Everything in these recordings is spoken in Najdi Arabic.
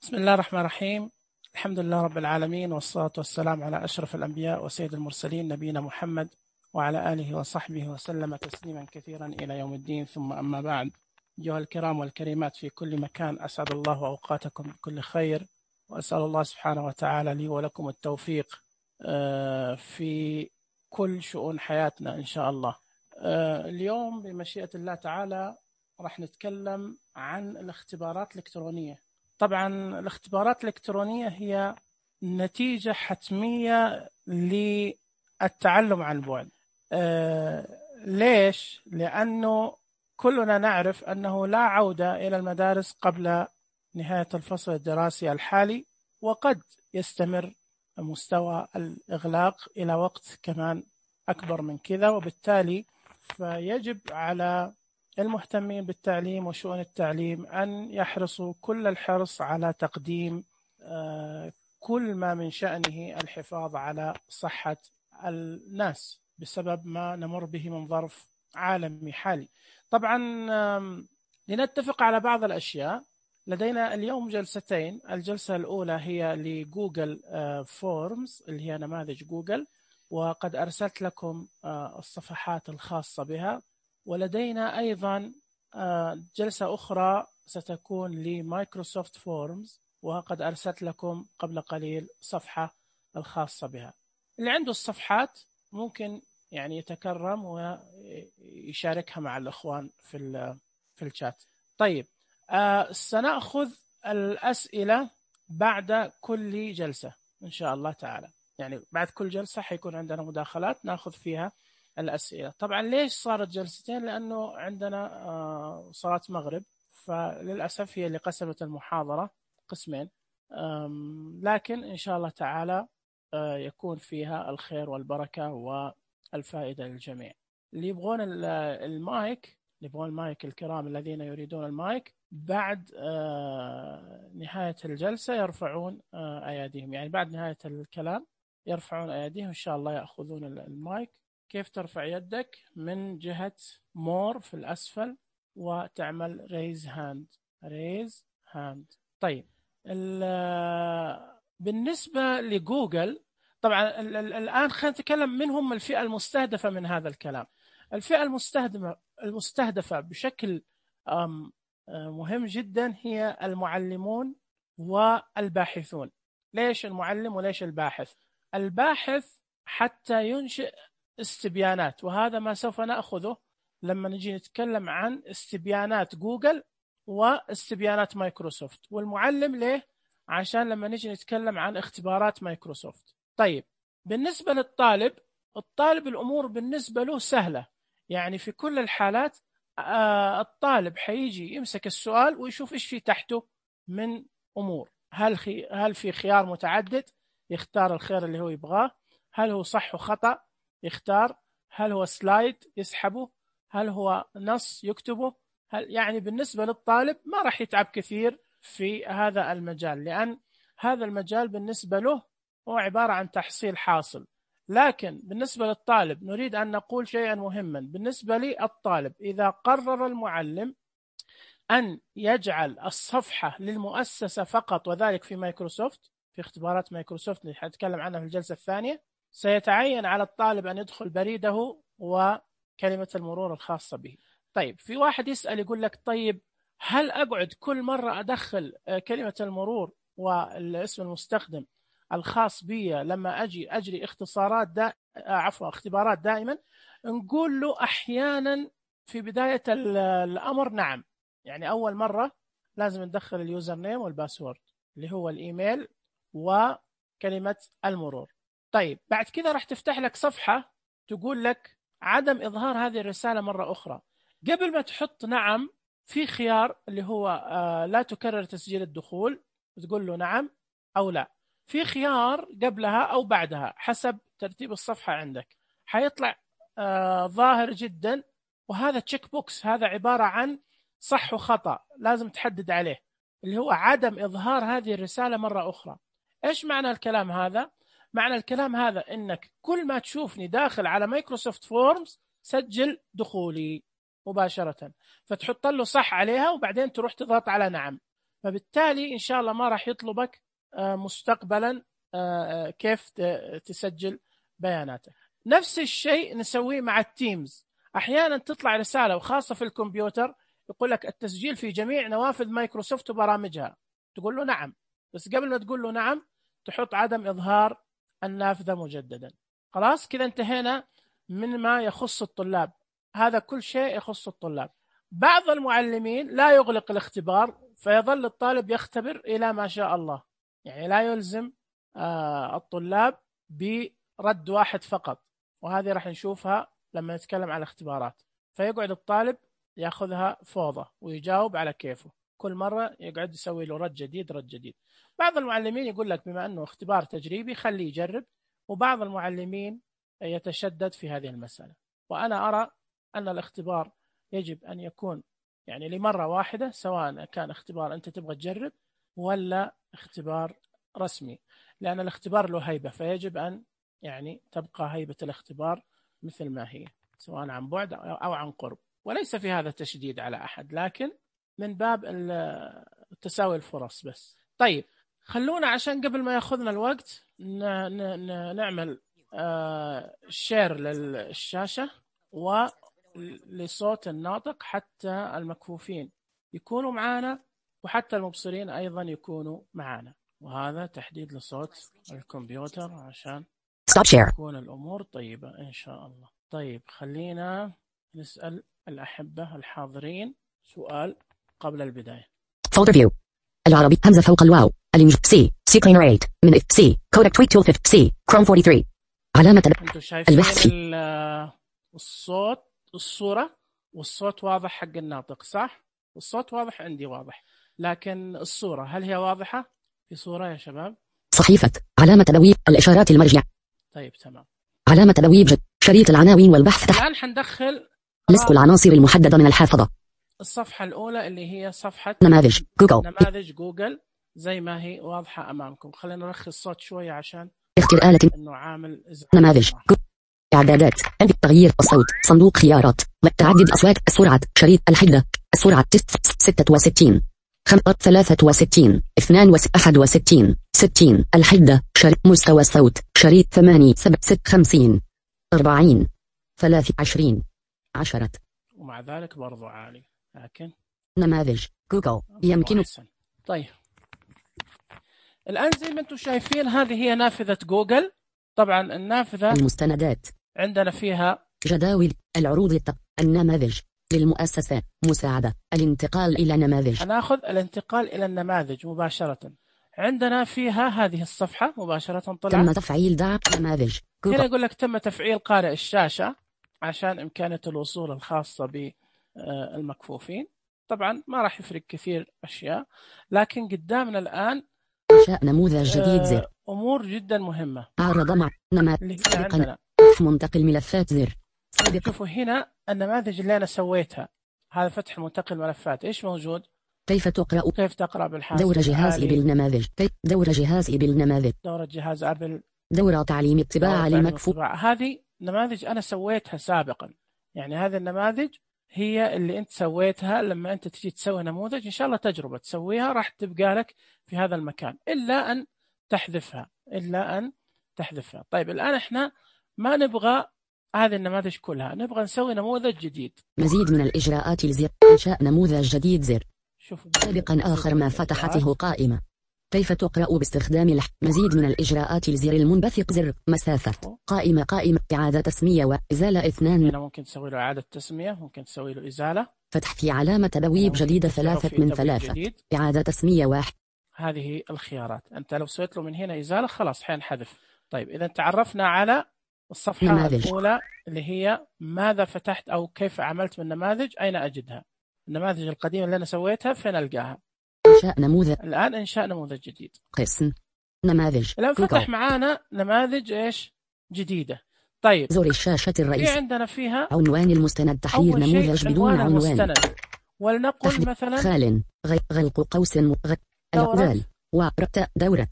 بسم الله الرحمن الرحيم. الحمد لله رب العالمين، والصلاة والسلام على أشرف الأنبياء وسيد المرسلين نبينا محمد وعلى آله وصحبه وسلم تسليما كثيرا إلى يوم الدين. ثم أما بعد، أيها الكرام والكريمات في كل مكان، أسعد الله أوقاتكم بكل خير، وأسأل الله سبحانه وتعالى لي ولكم التوفيق في كل شؤون حياتنا إن شاء الله. اليوم بمشيئة الله تعالى راح نتكلم عن الاختبارات الإلكترونية. طبعا الاختبارات الإلكترونية هي نتيجة حتمية للتعلم عن بعد. ليش؟ لأنه كلنا نعرف أنه لا عودة إلى المدارس قبل نهاية الفصل الدراسي الحالي، وقد يستمر مستوى الإغلاق إلى وقت كمان أكبر من كذا، وبالتالي فيجب على المهتمين بالتعليم وشؤون التعليم أن يحرصوا كل الحرص على تقديم كل ما من شأنه الحفاظ على صحة الناس بسبب ما نمر به من ظرف عالمي حالي. طبعا لنتفق على بعض الأشياء، لدينا اليوم جلستين. الجلسة الأولى هي لجوجل فورمز اللي هي نماذج جوجل، وقد أرسلت لكم الصفحات الخاصة بها، ولدينا أيضا جلسة أخرى ستكون لمايكروسوفت فورمز، وقد أرسلت لكم قبل قليل صفحة الخاصة بها. اللي عنده الصفحات ممكن يعني يتكرم ويشاركها مع الأخوان في الشات. طيب، سنأخذ الأسئلة بعد كل جلسة إن شاء الله تعالى، يعني بعد كل جلسة حيكون عندنا مداخلات نأخذ فيها الأسئلة. طبعا ليش صارت جلستين؟ لأنه عندنا صلاة مغرب، فللأسف هي اللي قسمت المحاضرة قسمين، لكن إن شاء الله تعالى يكون فيها الخير والبركة والفائدة للجميع. اللي يبغون المايك، الكرام الذين يريدون المايك بعد نهاية الجلسة يرفعون أيديهم، يعني بعد نهاية الكلام يرفعون أيديهم إن شاء الله يأخذون المايك. كيف ترفع يدك؟ من جهة مور في الأسفل وتعمل ريز هاند. طيب، بالنسبة لجوجل، طبعا الآن خلينا نتكلم من هم الفئة المستهدفة من هذا الكلام. الفئة المستهدفة بشكل مهم جدا هي المعلمون والباحثون. ليش المعلم وليش الباحث؟ الباحث حتى ينشئ استبيانات، وهذا ما سوف نأخذه لما نجي نتكلم عن استبيانات جوجل واستبيانات مايكروسوفت. والمعلم ليه؟ عشان لما نجي نتكلم عن اختبارات مايكروسوفت. طيب، بالنسبة للطالب، الأمور بالنسبة له سهلة، يعني في كل الحالات الطالب حيجي يمسك السؤال ويشوف إيش في تحته من أمور. هل في خيار متعدد يختار الخيار اللي هو يبغاه؟ هل هو صح وخطأ يختار؟ هل هو سلايد يسحبه؟ هل هو نص يكتبه؟ يعني بالنسبة للطالب ما راح يتعب كثير في هذا المجال، لأن هذا المجال بالنسبة له هو عبارة عن تحصيل حاصل. لكن بالنسبة للطالب نريد أن نقول شيئا مهما. بالنسبة للطالب، إذا قرر المعلم أن يجعل الصفحة للمؤسسة فقط، وذلك في مايكروسوفت، في اختبارات مايكروسوفت اللي حنتكلم عنها في الجلسة الثانية، سيتعين على الطالب أن يدخل بريده وكلمة المرور الخاصة به. طيب، في واحد يسأل يقول لك طيب هل أقعد كل مرة أدخل كلمة المرور والاسم المستخدم الخاص بي لما أجري اختبارات دائما؟ نقول له أحيانا في بداية الأمر نعم، يعني أول مرة لازم ندخل اليوزر نيم والباسورد اللي هو الإيميل وكلمة المرور. طيب، بعد كذا راح تفتح لك صفحة تقول لك عدم إظهار هذه الرسالة مرة أخرى. قبل ما تحط نعم، في خيار اللي هو لا تكرر تسجيل الدخول، تقول له نعم أو لا. في خيار قبلها أو بعدها حسب ترتيب الصفحة عندك، حيطلع ظاهر جدا، وهذا تشيك بوكس، هذا عبارة عن صح وخطأ لازم تحدد عليه، اللي هو عدم إظهار هذه الرسالة مرة أخرى. إيش معنى الكلام هذا؟ معنى الكلام هذا إنك كل ما تشوفني داخل على مايكروسوفت فورمز سجل دخولي مباشرة، فتحط له صح عليها وبعدين تروح تضغط على نعم. فبالتالي إن شاء الله ما راح يطلبك مستقبلا كيف تسجل بياناتك. نفس الشيء نسويه مع التيمز. أحيانا تطلع رسالة وخاصة في الكمبيوتر يقول لك التسجيل في جميع نوافذ مايكروسوفت وبرامجها، تقول له نعم، بس قبل ما تقول له نعم تحط عدم إظهار النافذة مجددا. خلاص كذا انتهينا من ما يخص الطلاب، هذا كل شيء يخص الطلاب. بعض المعلمين لا يغلق الاختبار فيظل الطالب يختبر إلى ما شاء الله، يعني لا يلزم الطلاب برد واحد فقط، وهذه راح نشوفها لما نتكلم عن الاختبارات. فيقعد الطالب يأخذها فوضى ويجاوب على كيفه، كل مرة يقعد يسوي له رد جديد رد جديد. بعض المعلمين يقول لك بما أنه اختبار تجريبي خليه يجرب، وبعض المعلمين يتشدد في هذه المسألة. وأنا أرى أن الاختبار يجب أن يكون يعني لمرة واحدة، سواء كان اختبار أنت تبغى تجرب ولا اختبار رسمي، لأن الاختبار له هيبة، فيجب أن يعني تبقى هيبة الاختبار مثل ما هي، سواء عن بعد أو عن قرب. وليس في هذا تشديد على أحد، لكن من باب تساوي الفرص بس. طيب خلونا عشان قبل ما ياخذنا الوقت نعمل شير للشاشة ولصوت الناطق حتى المكفوفين يكونوا معنا، وحتى المبصرين أيضا يكونوا معنا. وهذا تحديد لصوت الكمبيوتر عشان تكون الأمور طيبة إن شاء الله. طيب خلينا نسأل الأحبة الحاضرين سؤال قبل البداية. Folder view. العربي همزة فوق الواو. الإنجليزي C clean rate من C codec tweet tool 50 C Chrome 43. علامة أنتوا شايفين الصوت الصورة والصوت واضح حق الناطق صح؟ الصوت واضح عندي واضح، لكن الصورة هل هي واضحة؟ في صورة يا شباب؟ صحيفة علامة تبويب الإشارات المرجع. طيب تمام. علامة تبويب شريط العناوين والبحث تحت. الآن حندخل لصق العناصر المحددة من الحافظة. الصفحة الأولى اللي هي صفحة نماذج جوجل. نماذج جوجل زي ما هي واضحة أمامكم. خلينا نرخي الصوت شوية عشان اختر آلة إنه عامل إزعاج. نماذج إعدادات عند تغيير الصوت صندوق خيارات تعدد الأصوات السرعة شريط الحدة السرعة 66 63 61 60 الحدة شريط مستوى الصوت شريط 8 50 40 23 10. ومع ذلك برضو عالي، لكن نماذج جوجل يمكن. طيب الآن زي ما أنتم شايفين هذه هي نافذة جوجل. طبعا النافذة المستندات عندنا فيها جداول العروض النماذج للمؤسسة مساعدة الانتقال إلى نماذج. هناخذ الانتقال إلى النماذج مباشرة. عندنا فيها هذه الصفحة مباشرة طلعت تم تفعيل دعم نماذج هنا يقول لك تم تفعيل قارئ الشاشة عشان إمكانية الوصول الخاصة بالمكفوفين. طبعا ما راح يفرق كثير أشياء، لكن قدامنا الآن إنشاء نموذج جديد زر. أمور جدا مهمة. عرض مع نماذج عندنا منتقل ملفات زر. شوفوا هنا النماذج اللي أنا سويتها، هذا فتح منتقل ملفات. إيش موجود؟ كيف تقرأ بالحاسب. دورة جهاز بالنماذج. دورة جهاز بالنماذج. دورة جهاز أبل. دورة تعليم الطباعة للمكفوف. هذه نماذج أنا سويتها سابقا، يعني هذه النماذج هي اللي أنت سويتها. لما أنت تجي تسوي نموذج إن شاء الله تجربة تسويها راح تبقى لك في هذا المكان، إلا أن تحذفها. طيب الآن إحنا ما نبغى هذه النماذج كلها، نبغى نسوي نموذج جديد. مزيد من الإجراءات الزر. إنشاء نموذج جديد زر. سابقا آخر ما فتحته قائمة. كيف تقرأ باستخدام مزيد من الإجراءات الزر المنبثق زر مسافة قائمة إعادة تسمية وإزالة 2. هنا ممكن تسوي له إعادة تسمية، ممكن تسوي له إزالة. فتح في علامة تبويب جديدة 3 من 3. إعادة تسمية 1. هذه الخيارات. أنت لو سويت له من هنا إزالة خلاص حينحذف. طيب إذا تعرفنا على الصفحة نماذج. الأولى اللي هي ماذا فتحت أو كيف عملت من نماذج، أين أجدها؟ النماذج القديمة اللي أنا سويتها فين ألقاها؟ إنشاء نموذج. الآن إنشاء نموذج جديد. قسم نماذج. الآن فتح معانا نماذج إيش جديدة. طيب زر الشاشة الرئيسية. في عندنا فيها عنوان المستند. تحرير نموذج بدون عنوان. ولنقل مثلا خال غلق قوس الأقوال ورتاء دورة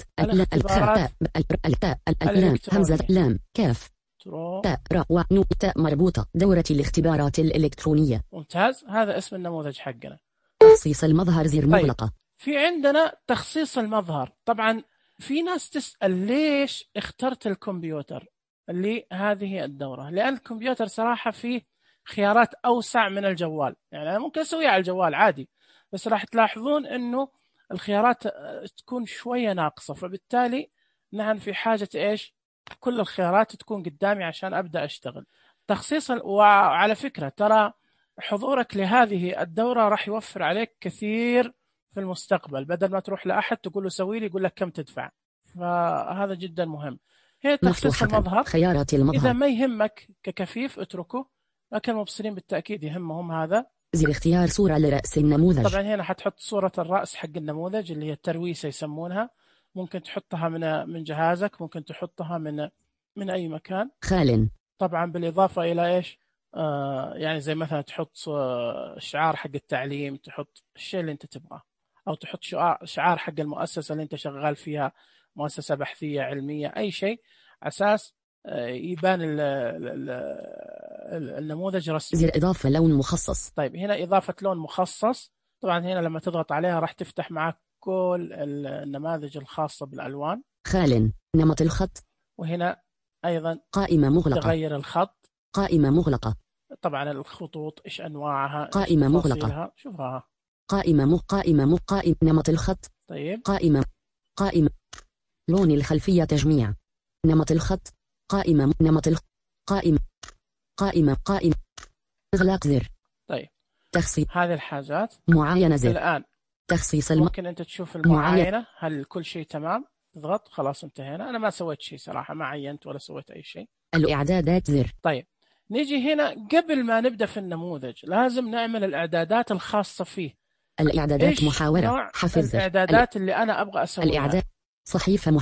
التاء الألام همزة لام كاف تاء راء ونو تاء مربوطة. دورة الاختبارات الإلكترونية. ممتاز، هذا اسم النموذج حقنا. تخصيص المظهر زر مغلقة. في عندنا تخصيص المظهر. طبعا في ناس تسأل ليش اخترت الكمبيوتر لهذه الدورة؟ لأن الكمبيوتر صراحة فيه خيارات أوسع من الجوال. يعني أنا ممكن أسويها على الجوال عادي، بس راح تلاحظون أنه الخيارات تكون شوية ناقصة، فبالتالي نحن في حاجة إيش؟ كل الخيارات تكون قدامي عشان أبدأ أشتغل. تخصيص وعلى فكرة ترى حضورك لهذه الدورة راح يوفر عليك كثير في المستقبل، بدل ما تروح لأحد تقول له سوي لي يقول لك كم تدفع. فهذا جدا مهم. هي تخصيص المظهر. خيارات المظهر إذا ما يهمك ككفيف اتركه، لكن المبصرين بالتأكيد يهمهم هذا. زر اختيار صورة لرأس النموذج. طبعا هنا حتحط صورة الرأس حق النموذج اللي هي الترويسة يسمونها. ممكن تحطها من جهازك، ممكن تحطها من أي مكان. خال. طبعا بالإضافة إلى إيش؟ يعني زي مثلا تحط شعار حق التعليم، تحط الشيء اللي أنت تبغاه، أو تحط شعار حق المؤسسة اللي أنت شغال فيها، مؤسسة بحثية علمية، أي شيء، أساس يبان النموذج رسمي. زر إضافة لون مخصص. طيب هنا إضافة لون مخصص. طبعا هنا لما تضغط عليها راح تفتح معك كل النماذج الخاصة بالألوان. خال. نمط الخط. وهنا أيضا قائمة مغلقة. تغير الخط. قائمة مغلقة. طبعا الخطوط إيش أنواعها، قائمة مغلقة. شوفها. قائمة نمط الخط. طيب قائمة لون الخلفية تجميع. نمط الخط. قائمة إغلاق زر. طيب تخصيص هذه الحاجات. معاينة زر. الآن تخصيص ممكن أنت تشوف المعاينة، هل كل شيء تمام؟ تضغط خلاص انتهينا. أنا ما سويت شيء صراحة، ما عينت ولا سويت أي شيء. الإعدادات زر. طيب نيجي هنا قبل ما نبدأ في النموذج لازم نعمل الإعدادات الخاصة فيه. الإعدادات محاورة حفظ. الإعدادات اللي أنا أبغى أسويها. الإعداد صحيفة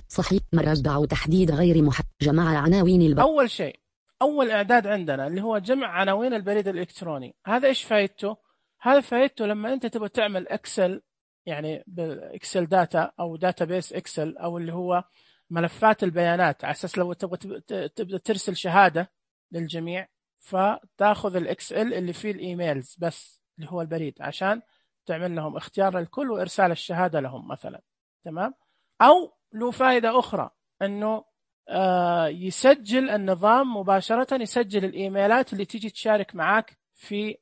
صحيف مربع تحديد غير جمع عناوين أول شيء، أول إعداد عندنا اللي هو جمع عناوين البريد الإلكتروني. هذا إيش فايدته؟ هذا فايدته لما أنت تبغى تعمل إكسل، يعني بالإكسل داتا أو داتابيس إكسل، أو اللي هو ملفات البيانات، على أساس لو تبغى ترسل شهادة للجميع، فتأخذ الإكسل اللي فيه الإيميلز بس اللي هو البريد، عشان تعمل لهم اختيار للكل وإرسال الشهادة لهم مثلا. تمام؟ أو له فائدة أخرى، أنه يسجل النظام مباشرة، يسجل الإيميلات اللي تيجي تشارك معاك في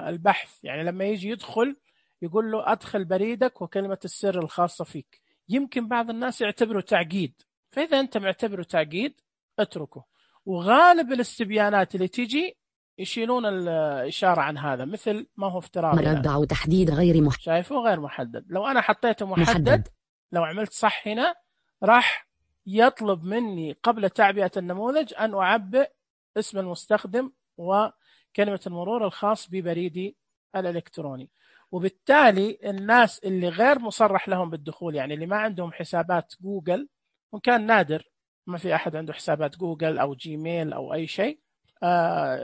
البحث. يعني لما يجي يدخل يقول له أدخل بريدك وكلمة السر الخاصة فيك. يمكن بعض الناس يعتبره تعقيد، فإذا أنت معتبره تعقيد اتركه. وغالب الاستبيانات اللي تيجي يشيلون الإشارة عن هذا، مثل ما هو افتراضي. مربع وتحديد غير محدد. شايفه غير محدد. لو أنا حطيته محدد، لو عملت صح هنا راح يطلب مني قبل تعبئة النموذج أن أعبئ اسم المستخدم وكلمة المرور الخاص ببريدي الإلكتروني. وبالتالي الناس اللي غير مصرح لهم بالدخول، يعني اللي ما عندهم حسابات جوجل، وكان نادر ما في أحد عنده حسابات جوجل أو جيميل أو أي شيء،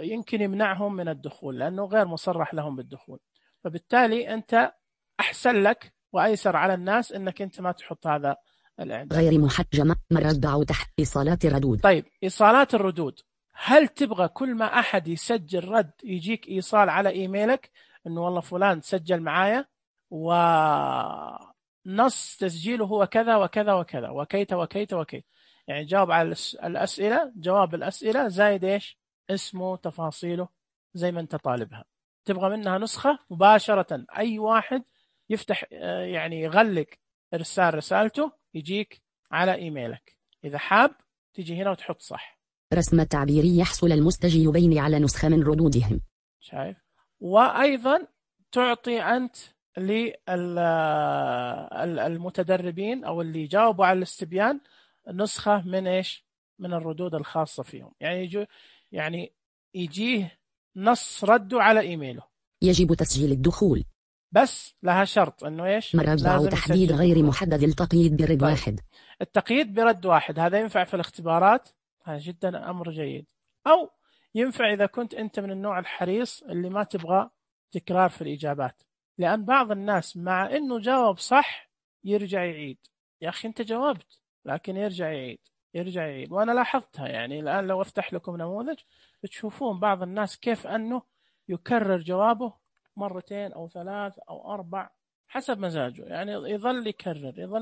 يمكن يمنعهم من الدخول لأنه غير مصرح لهم بالدخول. فبالتالي أنت أحسن لك وأيسر على الناس أنك أنت ما تحط هذا الإعداد. غير محجمة مربع تحت إيصالات الردود. طيب إيصالات الردود، هل تبغى كل ما أحد يسجل رد يجيك إيصال على إيميلك أنه والله فلان سجل معايا ونص تسجيله هو كذا وكذا وكذا وكيت وكيت وكيت، يعني جاوب على الأسئلة، جواب الأسئلة زايد إيش اسمه تفاصيله زي ما أنت طالبها. تبغى منها نسخة مباشرة، أي واحد يفتح يعني يغلق إرسال رسالته يجيك على إيميلك. إذا حاب تيجي هنا وتحط صح. رسم تعبيري يحصل المستجيبين على نسخة من ردودهم. شايف؟ وأيضا تعطي أنت للمتدربين أو اللي جاوبوا على الاستبيان نسخة من إيش؟ من الردود الخاصة فيهم. يعني يجيه نص رده على إيميله. يجب تسجيل الدخول، بس لها شرط انه ايش؟ مربع تحديد غير محدد. التقييد برد واحد. التقييد برد واحد هذا ينفع في الاختبارات، هذا جدا امر جيد. او ينفع اذا كنت انت من النوع الحريص اللي ما تبغى تكرار في الاجابات، لان بعض الناس مع انه جاوب صح يرجع يعيد. يا اخي انت جاوبت، لكن يرجع يعيد. وانا لاحظتها. يعني الان لو افتح لكم نموذج تشوفون بعض الناس كيف انه يكرر جوابه مرتين أو ثلاث أو 4 حسب مزاجه، يعني يظل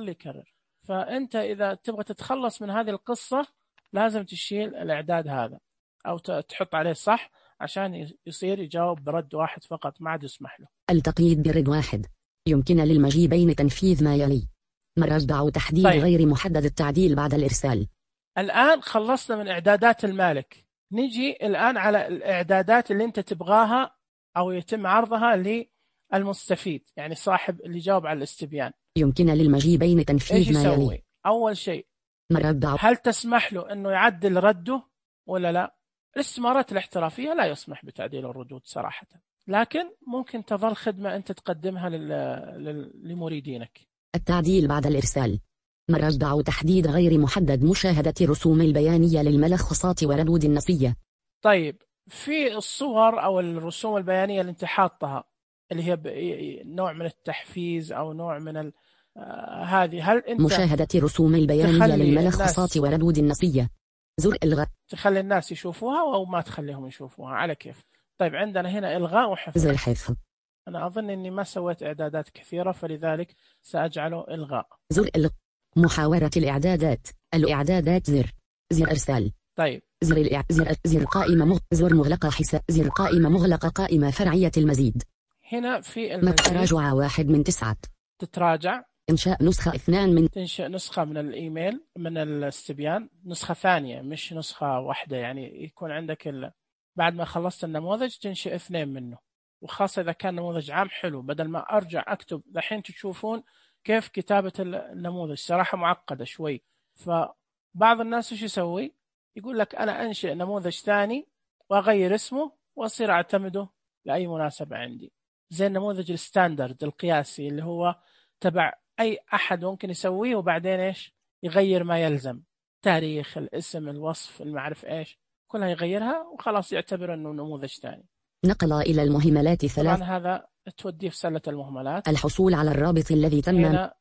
يكرر. فأنت إذا تبغى تتخلص من هذه القصة لازم تشيل الإعداد هذا أو تحط عليه صح عشان يصير يجاوب برد واحد فقط، ما عاد يسمح له. التقييد برد واحد. يمكن للمجيبين تنفيذ ما يلي: مرجع تحديد غير محدد التعديل بعد الإرسال. الآن خلصنا من إعدادات المالك، نجي الآن على الإعدادات اللي أنت تبغاها أو يتم عرضها للمستفيد، يعني صاحب اللي جاوب على الاستبيان. يمكن للمجيبين تنفيذ ما يلي. أول شيء مرجع، هل تسمح له أنه يعدل رده ولا لا؟ الاستمارات الاحترافية لا يسمح بتعديل الردود صراحة، لكن ممكن تظل خدمة أنت تقدمها لمريدينك. التعديل بعد الإرسال. مرجع تحديد غير محدد مشاهدة الرسوم البيانية للملخصات وردود النصية. طيب في الصور أو الرسوم البيانية اللي انت حاطها اللي هي نوع من التحفيز أو نوع من هذه، هل انت مشاهدة الرسوم البيانية للملخصات وردود النصية. زر إلغاء. تخلي الناس يشوفوها أو ما تخليهم يشوفوها على كيف. طيب عندنا هنا إلغاء وحفظ. زر حفظ. أنا أظن أني ما سويت إعدادات كثيرة فلذلك سأجعله إلغاء. زر إلغاء. محاورة الإعدادات. الإعدادات زر إرسال. طيب زر قائمة زر مغلقة حساب. زر قائمة مغلقة قائمة فرعية المزيد. هنا في المزيد تراجع 1 من 9. تتراجع. إنشاء نسخة 2 من. تنشئ نسخة من الإيميل من الاستبيان، نسخة ثانية مش نسخة واحدة، يعني يكون عندك بعد ما خلصت النموذج تنشئ 2 منه، وخاصة إذا كان نموذج عام حلو بدل ما أرجع أكتب. الحين تشوفون كيف كتابة النموذج صراحة معقدة شوي، فبعض الناس إيش يسوي؟ يقول لك أنا أنشئ نموذج ثاني وأغير اسمه وأصير أعتمده لأي مناسبة عندي، زي النموذج الستاندرد القياسي اللي هو تبع أي أحد ممكن يسويه، وبعدين إيش يغير ما يلزم، تاريخ، الاسم، الوصف، المعرف إيش، كلها يغيرها وخلاص يعتبر أنه نموذج ثاني. نقل إلى المهملات 3. طبعا هذا توديه في سلة المهملات. الحصول على الرابط الذي تم. هنا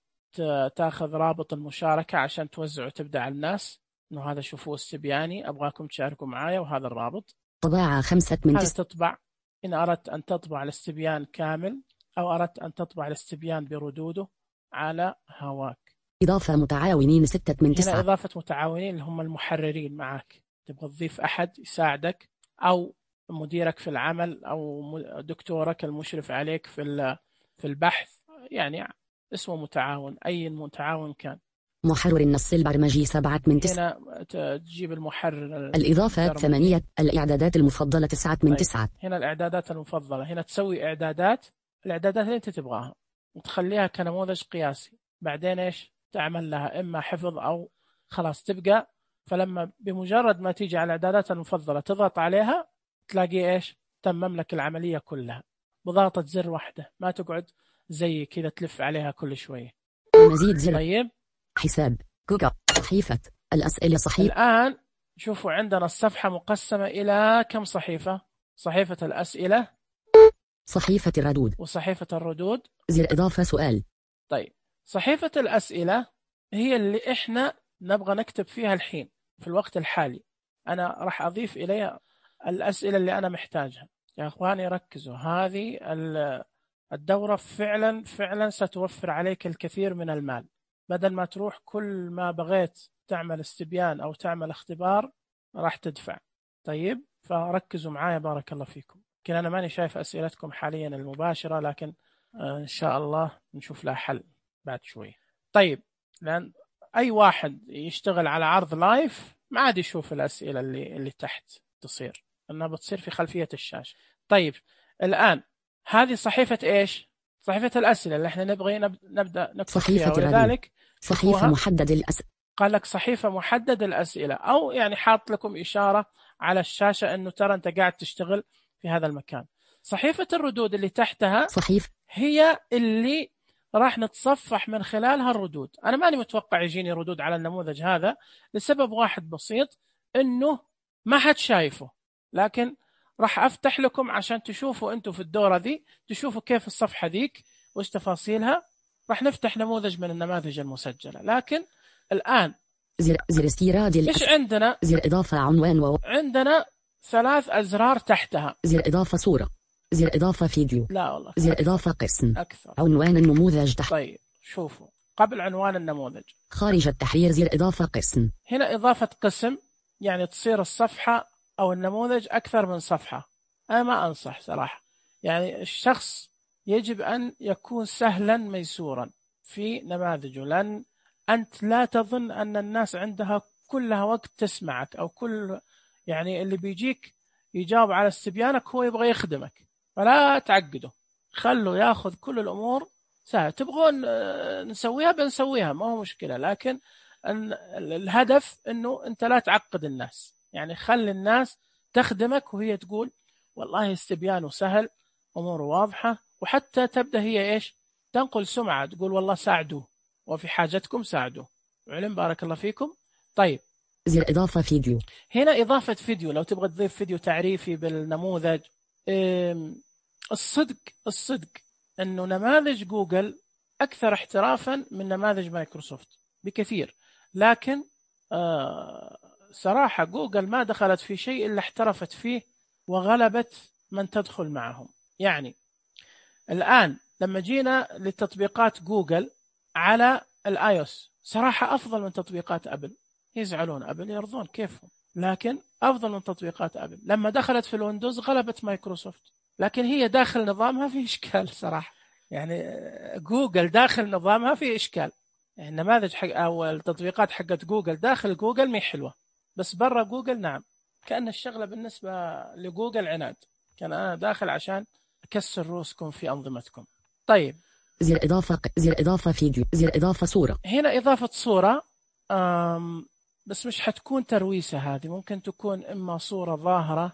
تأخذ رابط المشاركة عشان توزعه وتبدأ على الناس إنه هذا شوفوه استبياني، أبغاكم تشاركوا معايا، وهذا الرابط. طباعة 5 من 9. هذا تطبع إن أردت أن تطبع الاستبيان كامل أو أردت أن تطبع الاستبيان بردوده على هواك. إضافة متعاونين 6 من 9. هنا إضافة متعاونين اللي هم المحررين معك، تبغى تضيف أحد يساعدك أو مديرك في العمل أو دكتورك المشرف عليك في البحث، يعني اسمه متعاون، أي متعاون كان. محرر النص البرمجي 7 من 9. هنا تجيب المحرر. الإضافات 8. الإعدادات المفضلة 9 من 9. هنا الإعدادات المفضلة، هنا تسوي الإعدادات اللي أنت تبغاها وتخليها كنموذج قياسي، بعدين إيش تعمل لها إما حفظ أو خلاص تبقى. فلما بمجرد ما تيجي على الإعدادات المفضلة تضغط عليها تلاقي إيش تمم لك العملية كلها بضغطة زر واحدة، ما تقعد زي كذا تلف عليها كل شوية. مزيد زر. طيب حساب كوكا صحيفة الأسئلة صحيفة. الآن شوفوا عندنا الصفحة مقسمة إلى كم صحيفة؟ صحيفة الأسئلة، صحيفة الردود، وصحيفة الردود. زر إضافة سؤال. طيب صحيفة الأسئلة هي اللي إحنا نبغى نكتب فيها الحين في الوقت الحالي. أنا راح أضيف إليها الأسئلة اللي أنا محتاجها. يا أخواني ركزوا، هذه الدورة فعلا ستوفر عليك الكثير من المال، بدل ما تروح كل ما بغيت تعمل استبيان أو تعمل اختبار راح تدفع. طيب فركزوا معايا بارك الله فيكم. لكن أنا ماني شايف أسئلتكم حاليا المباشرة، لكن إن شاء الله نشوف لها حل بعد شوي. طيب لأن أي واحد يشتغل على عرض لايف ما عاد يشوف الأسئلة اللي تحت تصير، أنها بتصير في خلفية الشاشة. طيب الآن هذه صحيفة إيش؟ صحيفة الأسئلة اللي احنا نبغي نبدأ نكتب فيها، ولذلك صحيفة محدد الأسئلة. قال لك صحيفة محدد الأسئلة، أو يعني حاط لكم إشارة على الشاشة أنه ترى أنت قاعد تشتغل في هذا المكان. صحيفة الردود اللي تحتها صحيفة هي اللي راح نتصفح من خلالها الردود. أنا ماني متوقع يجيني ردود على النموذج هذا لسبب واحد بسيط، أنه ما حد شايفه، لكن راح أفتح لكم عشان تشوفوا أنتوا في الدورة ذي، تشوفوا كيف الصفحة ذيك وإيش تفاصيلها. راح نفتح نموذج من النماذج المسجلة. لكن الآن زر استيراد إيش عندنا؟ زر إضافة عنوان عندنا 3 أزرار تحتها. زر إضافة صورة. زر إضافة فيديو. لا والله. زر إضافة قسم. أكثر. عنوان النموذج تحت. طيب شوفوا قبل عنوان النموذج. خارج التحرير. زر إضافة قسم. هنا إضافة قسم يعني تصير الصفحة أو النموذج أكثر من صفحة. أنا ما أنصح صراحة. يعني الشخص يجب أن يكون سهلا ميسورا في نماذجه، لأن أنت لا تظن أن الناس عندها كلها وقت تسمعك، أو كل يعني اللي بيجيك يجاوب على استبيانك هو يبغى يخدمك، فلا تعقده، خلوا ياخذ كل الأمور سهل. تبغون نسويها بنسويها ما هو مشكلة، لكن الهدف أنه أنت لا تعقد الناس، يعني خلي الناس تخدمك وهي تقول والله استبيانه سهل أموره واضحة، وحتى تبدأ هي إيش تنقل سمعة، تقول والله ساعدوه وفي حاجتكم ساعدوه. علم بارك الله فيكم. طيب زر إضافة فيديو. هنا إضافة فيديو، لو تبغى تضيف فيديو تعريفي بالنموذج. الصدق أنه نماذج جوجل أكثر احترافا من نماذج مايكروسوفت بكثير، لكن صراحة جوجل ما دخلت في شيء إلا احترفت فيه وغلبت من تدخل معهم. يعني الآن لما جينا لتطبيقات جوجل على الآيوس صراحة أفضل من تطبيقات أبل. يزعلون أبل يرضون كيفهم، لكن أفضل من تطبيقات أبل. لما دخلت في الويندوز غلبت مايكروسوفت، لكن هي داخل نظامها في إشكال صراحة. يعني جوجل داخل نظامها في إشكال، يعني النماذج حق أو التطبيقات حقت جوجل داخل جوجل مي حلوة، بس برا جوجل نعم كأن الشغلة بالنسبة لجوجل عناد. كان أنا داخل عشان أكسر روسكم في أنظمتكم. طيب زر إضافة فيديو. زر إضافة صورة. هنا إضافة صورة بس مش حتكون ترويسة، هذه ممكن تكون إما صورة ظاهرة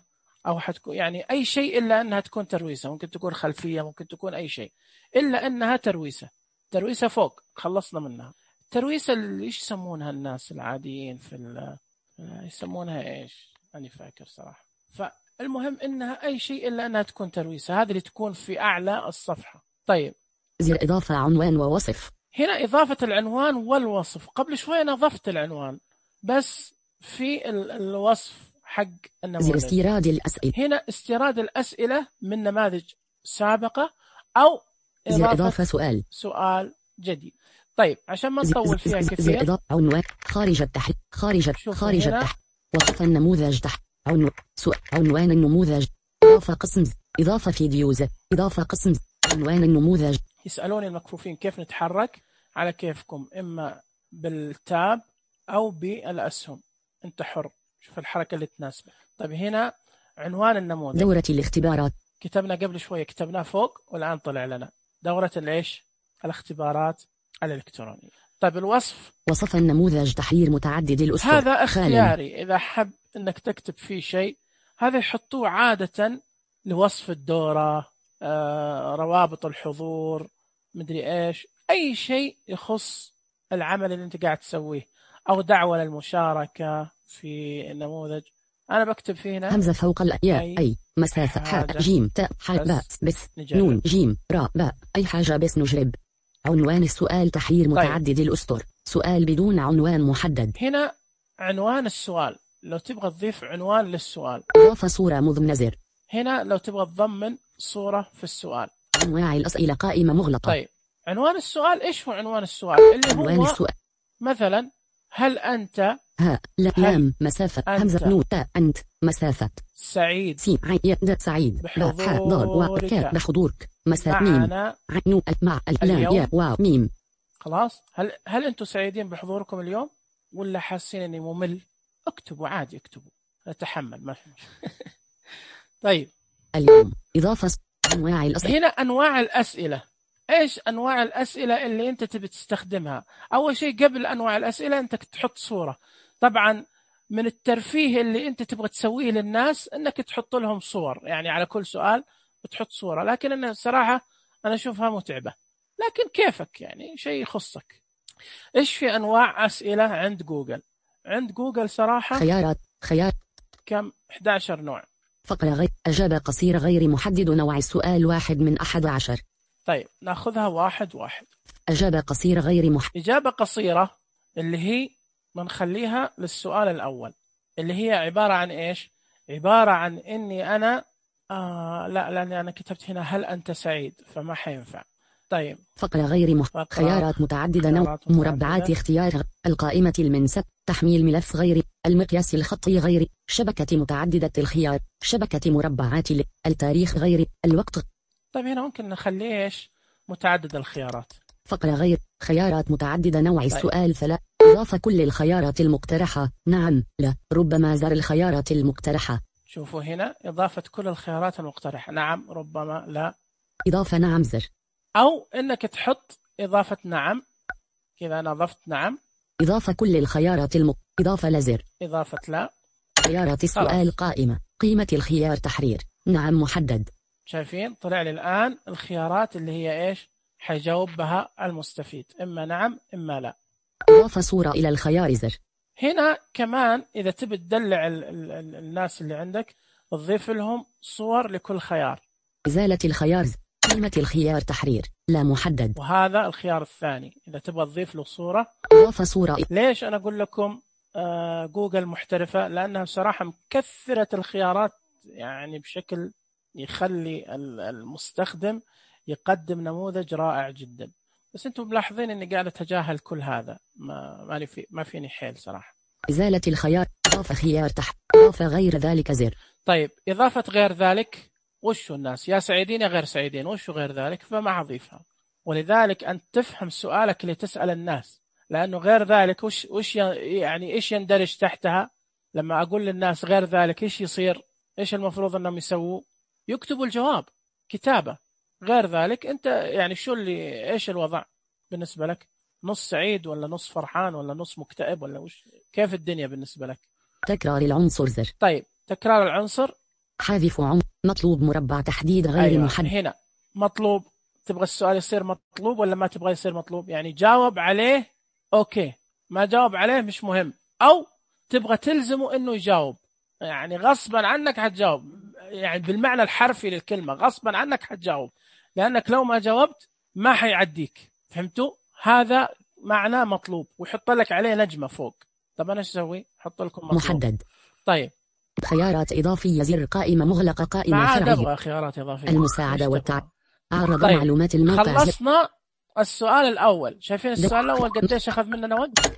أو حتكون يعني أي شيء إلا أنها تكون ترويسة، ممكن تكون خلفية، ممكن تكون أي شيء إلا أنها ترويسة. ترويسة فوق خلصنا منها. الترويسة اللي إيش يسمونها الناس العاديين في يسمونها إيش أنا فاكر صراحة. فالمهم إنها أي شيء إلا أنها تكون ترويسة، هذه اللي تكون في أعلى الصفحة. طيب زر إضافة عنوان ووصف. هنا إضافة العنوان والوصف. قبل شوي أنا أضفت العنوان بس في الوصف حق النموذج. زر استيراد الأسئلة. هنا استيراد الأسئلة من نماذج سابقة أو زر إضافة سؤال جديد. طيب عشان ما نطول فيها كثير. زر إضافة عنوان خارج التحت. خارج التحت. وصف النموذج تحت. عنوان النموذج. إضافة قسم. إضافة فيديوز. إضافة قسم. عنوان النموذج. يسألوني المكفوفين كيف نتحرك، على كيفكم، إما بالتاب أو بالأسهم، أنت حر، شوف الحركة اللي تناسبك. طيب هنا عنوان النموذج. دورة الاختبارات. كتبنا قبل شوية، كتبناه فوق والآن طلع لنا دورة الإيش الاختبارات الإلكترونية. طيب الوصف. وصف النموذج تحرير متعدد الأسطر. هذا اختياري، إذا حب أنك تكتب فيه شيء هذا يحطوه عادة لوصف الدورة، روابط الحضور، مدري إيش، أي شيء يخص العمل اللي أنت قاعد تسويه، أو دعوة للمشاركة في النموذج. أنا بكتب فيه هنا همزة فوق الياء أي مسافة حاء جيم تاء حاء باء بس نون جيم راء باء أي حاجة بس نجرب. عنوان السؤال تحرير متعدد الأسطر. سؤال بدون عنوان محدد. هنا عنوان السؤال، لو تبغى تضيف عنوان للسؤال. إضافة صورة مضمن زر. هنا لو تبغى تضمن صورة في السؤال. أنواع الأسئلة قائمة مغلقة. طيب عنوان السؤال إيش هو عنوان السؤال؟ اللي عنوان هو السؤال مثلا هل أنت لام مسافة همزة نون تاء أنت مسافة سعيد سين عين يد سعيد بحضورك مسافة ميم عين مع اللام يا واو ميم. خلاص هل أنتم سعيدين بحضوركم اليوم ولا حاسين إني ممل؟ اكتبوا عادي، اكتبوا أتحمل ما في طيب اليوم إضافة أنواع الأسئلة. هنا أنواع الأسئلة. إيش أنواع الأسئلة اللي أنت تبي تستخدمها؟ أول شيء قبل أنواع الأسئلة أنت تحط صورة. طبعا من الترفيه اللي أنت تبغى تسويه للناس أنك تحط لهم صور، يعني على كل سؤال بتحط صورة، لكن أنا الصراحة أنا أشوفها متعبة، لكن كيفك يعني شيء يخصك. إيش في أنواع أسئلة عند جوجل؟ عند جوجل صراحة خيار كم 11 نوع. فقرة غير أجابة قصيرة غير محدد. نوع السؤال 1 من 11. طيب ناخذها واحد. أجابة قصيرة غير إجابة قصيرة اللي هي بنخليها للسؤال الأول، اللي هي عبارة عن إيش؟ عبارة عن إني أنا لا، لأني أنا كتبت هنا هل أنت سعيد فما حينفع. طيب فقرة غير خيارات متعددة نوع مربعات اختيار القائمة المنسب تحميل ملف غير المقياس الخطي غير شبكة متعددة الخيار شبكة مربعات التاريخ غير الوقت. طيب هنا ممكن نخليه إيش متعدد الخيارات. فقرة غير خيارات متعددة نوع السؤال 3 إضافة كل الخيارات المقترحة نعم لا ربما زر الخيارات المقترحة. شوفوا هنا إضافة كل الخيارات المقترحة نعم ربما لا. إضافة نعم زر. أو إنك تحط إضافة نعم كذا أنا أضفت نعم. إضافة كل الخيارات إضافة لزر. إضافة لا. خيارات السؤال قائمة قيمة الخيار تحرير نعم محدد. شايفين طلع لي الآن الخيارات اللي هي إيش حيجاوب بها المستفيد إما نعم إما لا. إضافة صورة إلى الخيار زر. هنا كمان إذا تبي تدلع الناس اللي عندك تضيف لهم صور لكل خيار. إزالة الخيار قيمة الخيار تحرير لا محدد. وهذا الخيار الثاني إذا تبغى تضيف له صورة. إضافة صورة. ليش أنا أقول لكم جوجل محترفة؟ لأنها بصراحة مكثرة الخيارات يعني بشكل يخلي المستخدم يقدم نموذج رائع جدا. بس أنتم ملاحظين إني قاعد أتجاهل كل هذا ما فيني حيل صراحة. إزالة الخيار إضافة خيار إضافة غير ذلك زر. طيب إضافة غير ذلك وشو الناس يا سعيدين يا غير سعيدين وشو غير ذلك فما أضيفها. ولذلك أنت تفهم سؤالك اللي تسأل الناس لأنه غير ذلك وش يعني إيش يندرج تحتها. لما أقول للناس غير ذلك إيش يصير إيش المفروض أنهم يسووا يكتبوا الجواب كتابة. غير ذلك أنت يعني شو اللي إيش الوضع بالنسبة لك نص سعيد ولا نص فرحان ولا نص مكتئب ولا وش كيف الدنيا بالنسبة لك. تكرار العنصر زر. طيب تكرار العنصر حذف مطلوب مربع تحديد غير أيوة. محدد. هنا مطلوب تبغى السؤال يصير مطلوب ولا ما تبغى يصير مطلوب يعني جاوب عليه أوكي ما جاوب عليه مش مهم أو تبغى تلزمه إنه يجاوب يعني غصبا عنك حتجاوب يعني بالمعنى الحرفي للكلمة غصبا عنك حتجاوب لأنك لو ما جاوبت ما حيعديك. فهمتوا؟ هذا معناه مطلوب ويحط لك عليه نجمة فوق. طب أنا ايش أسوي؟ حط لكم مطلوب. محدد. طيب خيارات إضافية زر قائمة مغلقة قائمة ما عاد فرعية. أبغى خيارات إضافية المساعدة عرض طيب. معلومات الموقع. خلصنا السؤال الأول. شايفين السؤال الأول قديش أخذ مننا وقت؟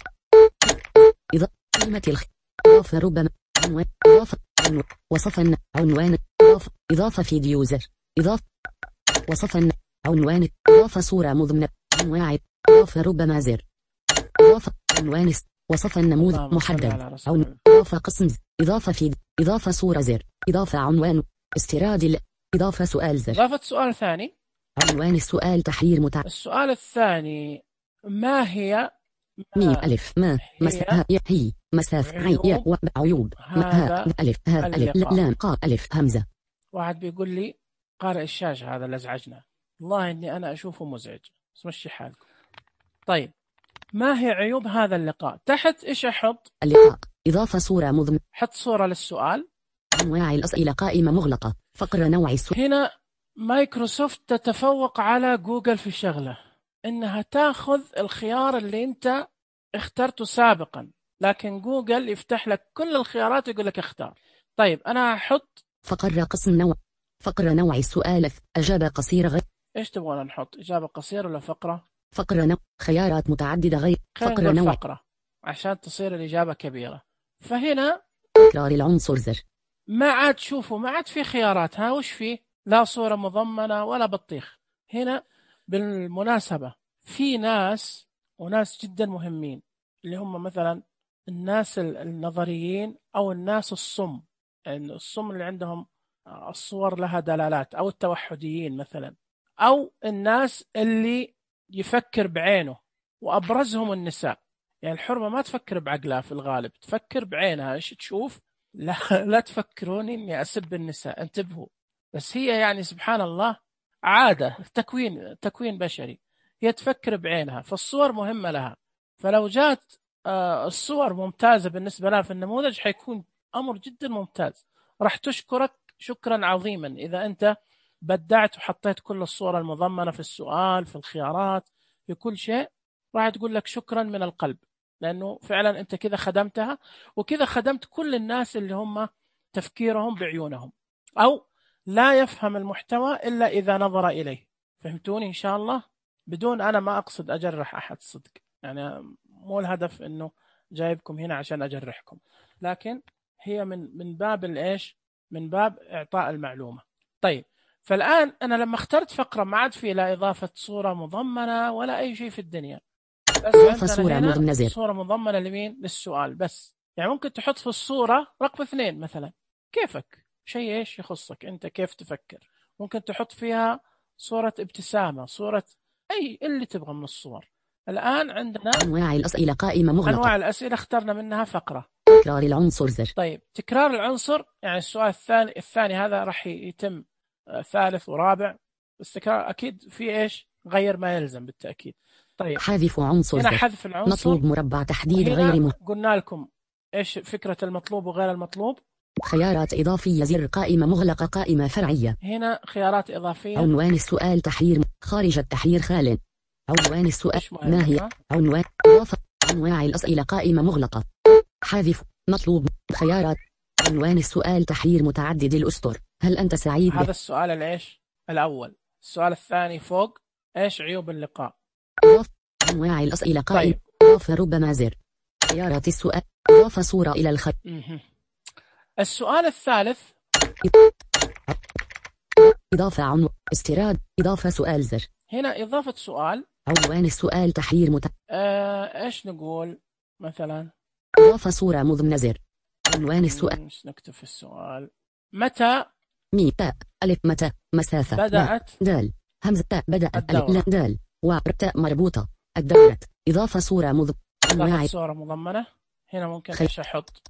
قيمة إضافة ربما عنوان إضافة وصفا عنوان إضافة فيديو زر إضافة وصفا عنوان إضافة صورة مضمنة عنوان إضافة ربما زر إضافة عنوان وصفا نموذج محدد إضافة قسم إضافة فيديو إضافة صورة زر إضافة عنوان استيراد إضافة سؤال زر إضافة سؤال ثاني عنوان السؤال تحرير السؤال الثاني ما هي ميم ألف ما هي مسافة عيوب ألف ألف لام قاف ألف همزة. واحد بيقول لي قارئ الشاشة هذا اللي أزعجنا والله إني أنا أشوفه مزعج بس مشي حالكم. طيب ما هي عيوب هذا اللقاء؟ تحت إيش أحط؟ اللقاء إضافة صورة مضمن حط صورة للسؤال. أنواع الأسئلة قائمة مغلقة فقرة نوع السؤال. هنا مايكروسوفت تتفوق على جوجل في شغلة إنها تأخذ الخيار اللي أنت اخترته سابقا لكن جوجل يفتح لك كل الخيارات ويقول لك اختار. طيب أنا أحط فقرة نوع السؤال أجابة قصيرة غير. إيش تبغون نحط إجابة قصيرة ولا فقرة؟ فقرة خيارات متعددة غير. فقرة نوع فقرة عشان تصير الإجابة كبيرة. فهنا تكرار العنصر زر ما عاد شوفوا ما عاد في خيارات. ها وش فيه؟ لا صورة مضمنة ولا بطيخ. هنا بالمناسبة في ناس وناس جدا مهمين اللي هم مثلا الناس النظريين أو الناس الصم يعني الصم اللي عندهم الصور لها دلالات أو التوحديين مثلا أو الناس اللي يفكر بعينه وأبرزهم النساء. يعني الحرمة ما تفكر بعقلها في الغالب تفكر بعينها. إيش تشوف؟ لا تفكروني إني أسب النساء انتبهوا. بس هي يعني سبحان الله عادة تكوين بشري هي تفكر بعينها فالصور مهمة لها. فلو جات الصور ممتازة بالنسبة لها في النموذج حيكون أمر جدا ممتاز. راح تشكرك شكرا عظيما إذا أنت بدعت وحطيت كل الصور المضمنة في السؤال في الخيارات في كل شيء راح تقول لك شكرا من القلب لأنه فعلا أنت كذا خدمتها وكذا خدمت كل الناس اللي هم تفكيرهم بعيونهم. أو لا يفهم المحتوى إلا إذا نظر إليه. فهمتوني إن شاء الله؟ بدون أنا ما أقصد أجرح أحد صدق، يعني مو الهدف إنه جايبكم هنا عشان أجرحكم، لكن هي من باب الإيش؟ من باب إعطاء المعلومة. طيب، فالآن أنا لما اخترت فقرة ما عاد في لا إضافة صورة مضمنة ولا أي شيء في الدنيا، بس صورة مضمنة لمين؟ للسؤال بس. يعني ممكن تحط في الصورة رقم 2 مثلا، كيفك، شيء إيش يخصك أنت، كيف تفكر. ممكن تحط فيها صورة ابتسامة، صورة أي اللي تبغى من الصور. الآن عندنا أنواع الأسئلة قائمة مغلقة. أنواع الأسئلة اخترنا منها فقرة. تكرار العنصر زر. طيب، تكرار العنصر يعني السؤال الثاني هذا راح يتم ثالث ورابع، بس تكرار أكيد في إيش؟ غير ما يلزم بالتأكيد. طيب، حذف عنصر هنا زر. حذف العنصر. مطلوب مربع تحديد غير قلنا لكم إيش فكرة المطلوب وغير المطلوب. خيارات إضافية زر قائمة مغلقة قائمة فرعية. هنا خيارات إضافية. عنوان السؤال تحرير خارج التحرير خال. عنوان السؤال ما هي عنوان إضافة أنواع الأسئلة قائمة مغلقة. حذف مطلوب خيارات عنوان السؤال تحرير متعدد الأسطر. هل أنت سعيد؟ هذا السؤال الإيش الأول. السؤال الثاني فوق إيش عيوب اللقاء. إضافة أنواع الأسئلة قائمة. طيب. إضافة ربما زر. خيارات السؤال إضافة صورة إلى الخط. السؤال الثالث إضافة عنوان استيراد إضافة سؤال زر. هنا إضافة سؤال. عنوان السؤال تحرير إيش نقول مثلا؟ إضافة صورة مضمنة زر. عنوان السؤال. إيش نكتب في السؤال؟ متى مي تاء ألف متى مسافة بدأت دال همزة تاء بدأت ألف دال وتاء مربوطة الدورة. إضافة صورة إضافة صورة مضمنة. هنا ممكن إيش أحط؟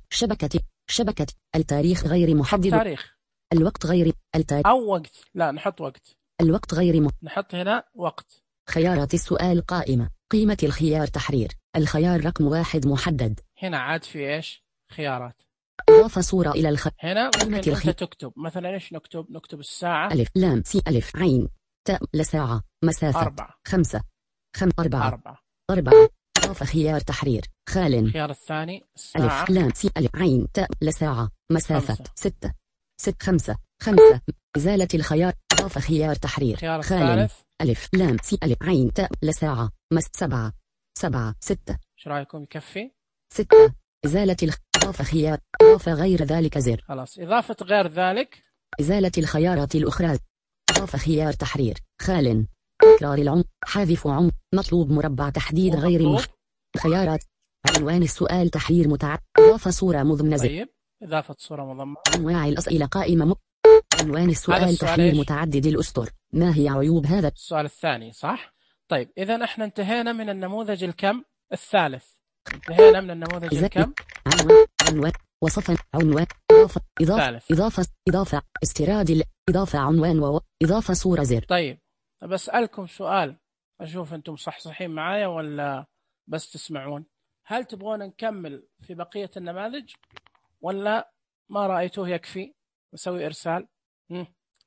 شبكة التاريخ غير محدد. تاريخ. الوقت غير التاريخ أو وقت. لا نحط وقت. الوقت غير نحط هنا وقت. خيارات السؤال قائمة. قيمة الخيار تحرير. الخيار رقم 1 محدد. هنا عاد في إيش؟ خيارات. إضافة صورة إلى الخط. هنا ممكن أنت تكتب مثلا إيش نكتب؟ نكتب الساعة ألف لام سي ألف عين تاء لساعة مسافة 4 5 4 4. إضافة خيار تحرير خال. الخيار الثاني الساعة. ألف لام سي ألف عين تاء لساعة مسافة 6 5 5. إزالة الخيار. إضافة خيار تحرير خيار خال. الثالث. ألف لام سي ألف عين تاء لساعة 7 6. شو رأيكم يكفي؟ 6. إزالة إضافة خيار. إضافة غير ذلك زر. خلاص. إضافة غير ذلك. إزالة الخيارات الأخرى. إضافة خيار تحرير خال. تكرار حذف مطلوب مربع تحديد غير خيارات. عنوان السؤال تحرير متعدد. إضافة صورة مضمنة زر. طيب، إضافة صورة مضمنة. أنواع الأسئلة قائمة عنوان السؤال تحرير متعدد الأسطر. ما هي عيوب هذا السؤال الثاني؟ صح. طيب، إذا احنا انتهينا من النموذج الكم الثالث. انتهينا من النموذج الكم. عنوان وصفا عنوان إضافة استيراد إضافة عنوان إضافة صورة زر. طيب، بسألكم سؤال أشوف أنتم صحصحين معايا ولا بس تسمعون. هل تبغون نكمل في بقية النماذج ولا ما رأيتوه يكفي نسوي إرسال؟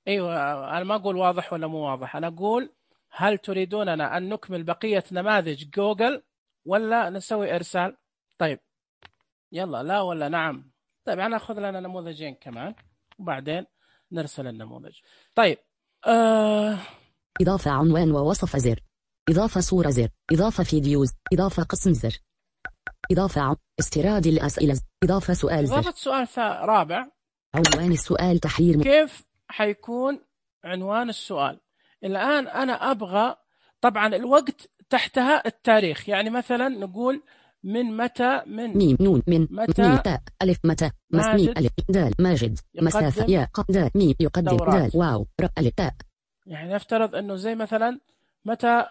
أيوة، أنا ما أقول واضح ولا مو واضح، أنا أقول هل تريدوننا أن نكمل بقية نماذج جوجل ولا نسوي إرسال؟ طيب يلا، لا ولا نعم؟ طيب أنا أخذ لنا نموذجين كمان وبعدين نرسل النموذج. طيب إضافة عنوان ووصف زر. إضافة صورة زر. إضافة فيديوز. إضافة قسم زر. إضافة استيراد الأسئلة. إضافة سؤال زر. إضافة سؤال رابع. عنوان السؤال تحرير كيف حيكون عنوان السؤال؟ الآن أنا أبغى طبعا الوقت تحتها التاريخ، يعني مثلا نقول من متى من ميم نون من متى ميم تاء ألف متى ميم ألف دال ماجد مسافة يا دال ميم يقدم دال واو ر ألف تاء. يعني نفترض أنه زي مثلا متى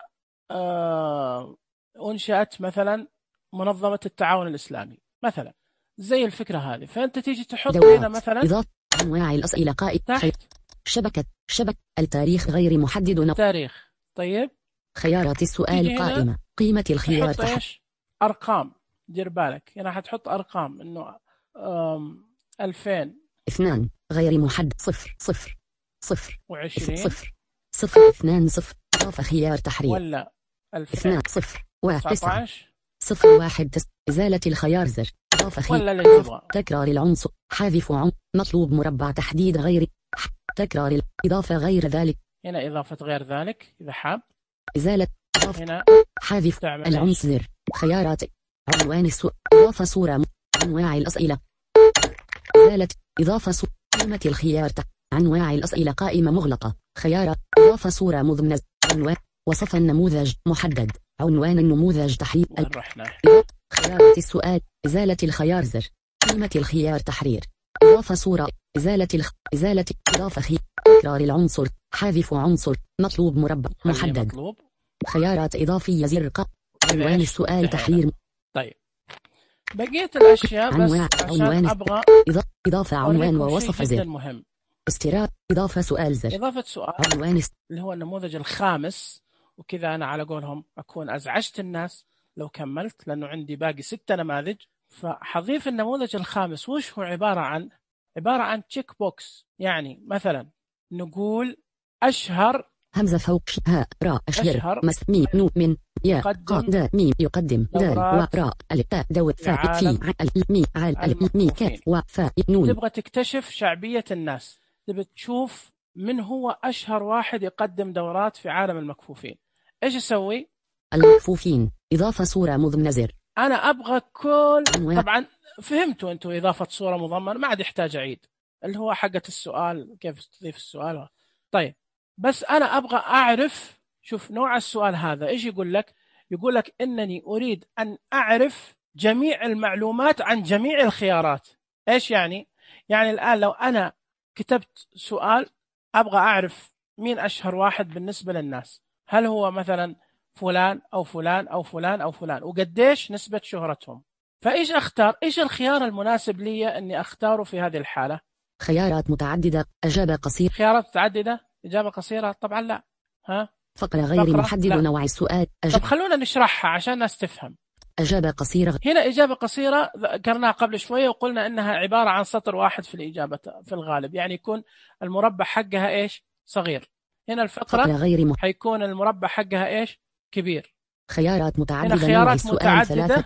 أنشأت مثلا منظمة التعاون الإسلامي مثلا، زي الفكرة هذه. فأنت تيجي تحط هنا مثلا إضافة أنواع الأسئلة تحت شبكة التاريخ غير محدد تاريخ. طيب، خيارات السؤال قائمة. قيمة الخيار تحت أرقام. دير بالك هنا حتحط أرقام إنه 2000 2 غير محدد 0 0 0 و20 0 0 2 0. إضافة خيار تحرير ولا 2 0 1 9 0 1 9. إزالة الخيار زر. إضافة خيار تكرار العنصر. حذف مطلوب مربع تحديد غير تكرار إضافة غير ذلك. هنا إضافة غير ذلك إذا حاب. إزالة إضافة. هنا حذف العنصر. خيارات عنوان السؤال. إضافة صورة. أنواع الأسئلة. إزالة إضافة صورة. قيمة الخيار. أنواع الأسئلة قائمة مغلقة. خيارات إضافة صورة مضمنة. عنوان وصف النموذج محدد. عنوان النموذج تحرير. خيارات السؤال. إزالة الخيار زر. قيمة الخيار تحرير. إضافة صورة. إزالة إضافة خيار. تكرار العنصر. حذف عنصر. مطلوب مربع محدد. مطلوب. خيارات إضافية زر عنوان السؤال تحرير. طيب بقية الأشياء بس عشان أبغى إضافة عنوان ووصف زر. مهم. استراء إضافة سؤال زر. إضافة سؤال عنوان اللي هو النموذج الخامس. وكذا أنا على قولهم أكون أزعجت الناس لو كملت، لأنه عندي باقي 6 نماذج. فحضيف النموذج الخامس وش هو عبارة عن تشيك بوكس. يعني مثلا نقول أشهر همزة فوق هاء راء أشهر ميم نو من يا قا دا ميم يقدم دال وراء ألف تاء دو ثاء في عل ميم عال ألف ميم كاف وفاء نون. تبغى تكتشف شعبية الناس، تبغى تشوف من هو أشهر واحد يقدم دورات في عالم المكفوفين. إيش أسوي؟ المكفوفين إضافة صورة مضمنة زر. أنا أبغى طبعا فهمتوا أنتوا إضافة صورة مضمنة، ما عاد يحتاج أعيد، اللي هو حقة السؤال كيف تضيف السؤال. طيب بس أنا أبغى أعرف، شوف نوع السؤال هذا إيش يقول لك؟ يقول لك إنني أريد أن أعرف جميع المعلومات عن جميع الخيارات. إيش يعني؟ يعني الآن لو أنا كتبت سؤال أبغى أعرف مين أشهر واحد بالنسبة للناس، هل هو مثلا فلان أو فلان أو فلان أو فلان، وقديش نسبة شهرتهم. فإيش أختار؟ إيش الخيار المناسب لي أني أختاره في هذه الحالة؟ خيارات متعددة. إجابة قصيرة. خيارات متعددة. إجابة قصيرة طبعا لا. ها؟ فقرة غير محدد نوع السؤال. طب خلونا نشرحها عشان الناس تفهم. إجابة قصيرة. هنا إجابة قصيرة ذكرناها قبل شوية وقلنا إنها عبارة عن سطر واحد في الإجابة في الغالب، يعني يكون المربع حقها إيش؟ صغير. هنا الفقرة حيكون المربع حقها إيش؟ كبير. خيارات متعددة. هنا خيارات متعددة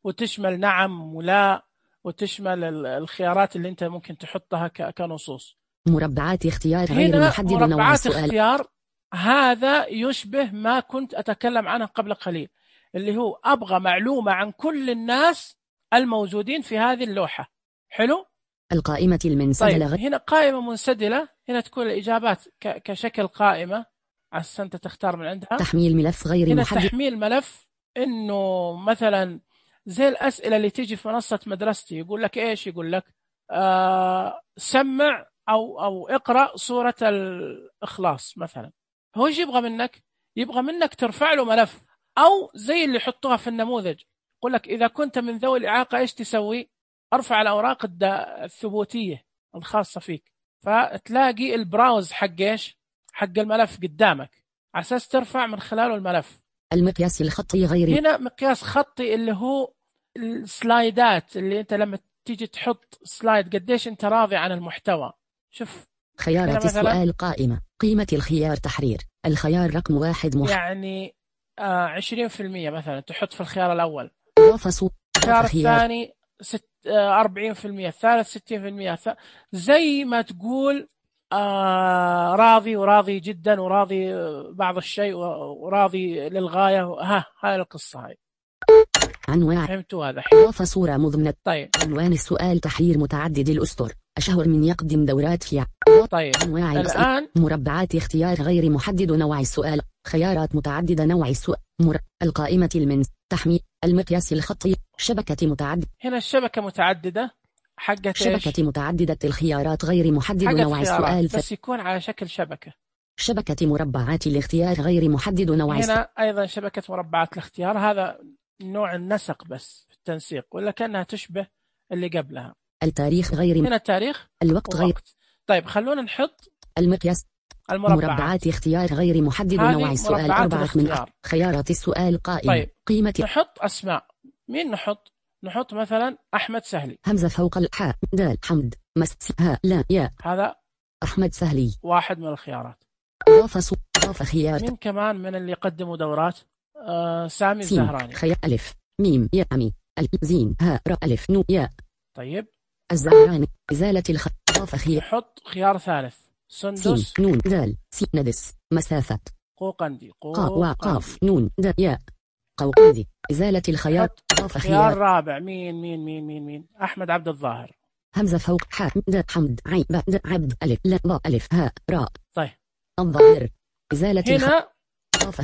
وتشمل نعم ولا، وتشمل الخيارات اللي أنت ممكن تحطها كنصوص. مربعات اختيار غير محدد نوع السؤال. مربعات اختيار هذا يشبه ما كنت أتكلم عنه قبل قليل، اللي هو أبغى معلومة عن كل الناس الموجودين في هذه اللوحة. حلو؟ القائمة المنسدلة. طيب هنا قائمة منسدلة، هنا تكون الإجابات كشكل قائمة عشان أنت تختار من عندها. تحميل ملف غير هنا محدد. تحميل ملف، إنه مثلا زي الأسئلة اللي تيجي في منصة مدرستي يقول لك إيش؟ يقول لك سمع أو اقرأ سورة الإخلاص مثلا. هو إيش يبغى منك؟ يبغى منك ترفع له ملف، أو زي اللي يحطوها في النموذج يقول لك إذا كنت من ذوي الإعاقة إيش تسوي؟ أرفع الأوراق الثبوتية الخاصة فيك، فتلاقي البراوز حق إيش؟ حق الملف قدامك على أساس ترفع من خلاله الملف. المقياس الخطي غير. هنا مقياس خطي اللي هو السلايدات، اللي أنت لما تيجي تحط سلايد قديش أنت راضي عن المحتوى. شوف خيارات السؤال قائمة. قيمة الخيار تحرير. الخيار رقم 1 يعني 20% مثلا تحط في الخيار الأول. إضافة الخيار الثاني 40%، الثالث 60%. زي ما تقول راضي وراضي جدا وراضي بعض الشيء وراضي للغاية. هاي القصة هاي. عنوان. فهمتوا هذا؟ إضافة صورة مضمنة. طيب عنوان السؤال تحرير متعدد الأسطر. أشهر من يقدم دورات في. طيب أنواع الآن مربعات اختيار غير محدد نوع السؤال. خيارات متعددة نوع السؤال. القائمة تحميل المقياس الخطي. شبكة متعددة. هنا الشبكة متعددة حقت شبكة متعددة الخيارات غير محدد نوع السؤال. بس يكون على شكل شبكة. شبكة مربعات الاختيار غير محدد نوع السؤال. هنا أيضا شبكة مربعات الاختيار، هذا نوع النسق بس في التنسيق، ولا كأنها تشبه اللي قبلها. التاريخ غير. هنا التاريخ. الوقت غير. طيب خلونا نحط المقياس. مربعات اختيار غير محدد نوع السؤال. 4 من خيارات السؤال قائمة. طيب قيمة. نحط أسماء. مين نحط؟ نحط مثلا أحمد سهلي. همزة فوق الحاء دال حمد ها لا يا. هذا أحمد سهلي واحد من الخيارات. إضافة خيار. مين كمان من اللي يقدموا دورات؟ سامي الزهراني. خيار ألف ميم يا أمي زين ها را ألف نو يا. طيب الزهراني. إزالة إضافة خيار. نحط خيار ثالث. سندس نون دال ندس مسافة قوقندي وقاف نون د ياء قوقندي إزالة الخياط خيار رابع مين أحمد عبد الظاهر همزة فوق حاء د حمد عين د عبد ألف لا ضاء ألف هاء راء. طيب الظاهر إزالة هنا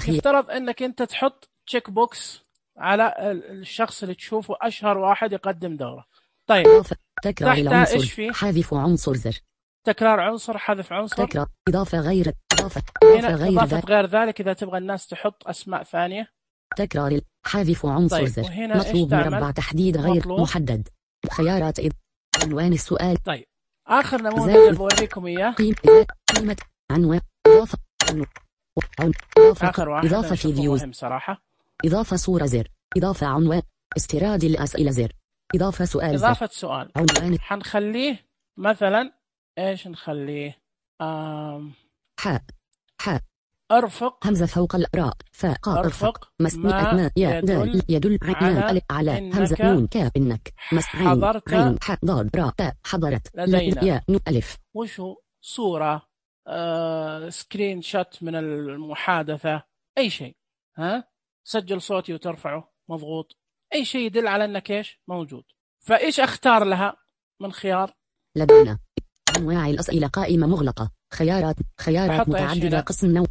يفترض أنك أنت تحط تشيك بوكس على الشخص اللي تشوفه أشهر واحد يقدم دورة. طيب تكرار العنصر حذف عنصر زر تكرار عنصر حذف عنصر تكرار إضافة غير إضافة غير ذلك إذا تبغى الناس تحط أسماء ثانية. تكرار حذف عنصر طيب. زر مطلوب مربع تحديد غير محدد خيارات عنوان السؤال. طيب آخر نموذج بوريكم إياه قيمة عنوان إضافة آخر واحد إضافة فيديو صراحة إضافة صورة زر إضافة عنوان استيراد الأسئلة زر إضافة سؤال إضافة سؤال عنوان حنخليه مثلا إيش نخليه حاء أرفق همزة فوق الراء فاء أرفق ما يدل على همزة نون كاف إنك حضرت عين حاء ضاد راء تاء حضرت لدينا ياء نون ألف وشو صورة سكرين شوت من المحادثة أي شيء سجل صوتي وترفعه مضغوط أي شيء يدل على أنك إيش موجود. فإيش أختار لها من خيار لدينا أنواع الأسئلة قائمة مغلقة خيارات متعددة قسم نوع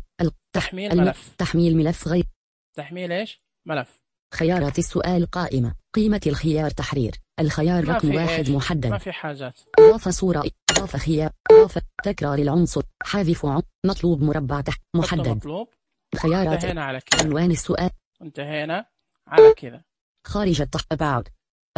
تحميل ملف غير تحميل إيش ملف خيارات السؤال قائمة قيمة الخيار تحرير الخيار رقم 1 محدد ما في حاجات إضافة صورة إضافة خيار إضافة تكرار العنصر حذف مطلوب مربع محدد مطلوب خيارات انتهينا على كذا عنوان السؤال انتهينا على كذا خارج about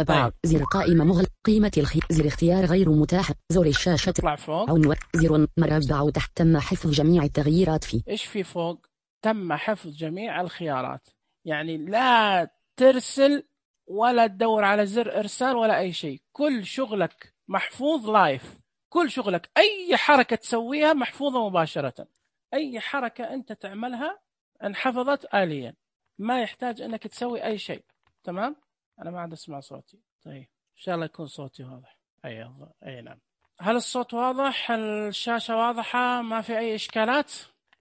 طيب. زر قائمة مغلق قيمة زر اختيار غير متاح زر الشاشة اطلع فوق عنوان زر مربع تحت تم حفظ جميع التغييرات فيه ايش في فوق تم حفظ جميع الخيارات يعني لا ترسل ولا تدور على زر ارسال ولا اي شيء كل شغلك محفوظ لايف كل شغلك اي حركة تسويها محفوظة مباشرة اي حركة انت تعملها انحفظت آليا ما يحتاج انك تسوي اي شيء. تمام أنا ما عاد أسمع صوتي. طيب إن شاء الله يكون صوتي واضح. أي نعم. هل الصوت واضح؟ الشاشة واضحة؟ ما في أي إشكالات؟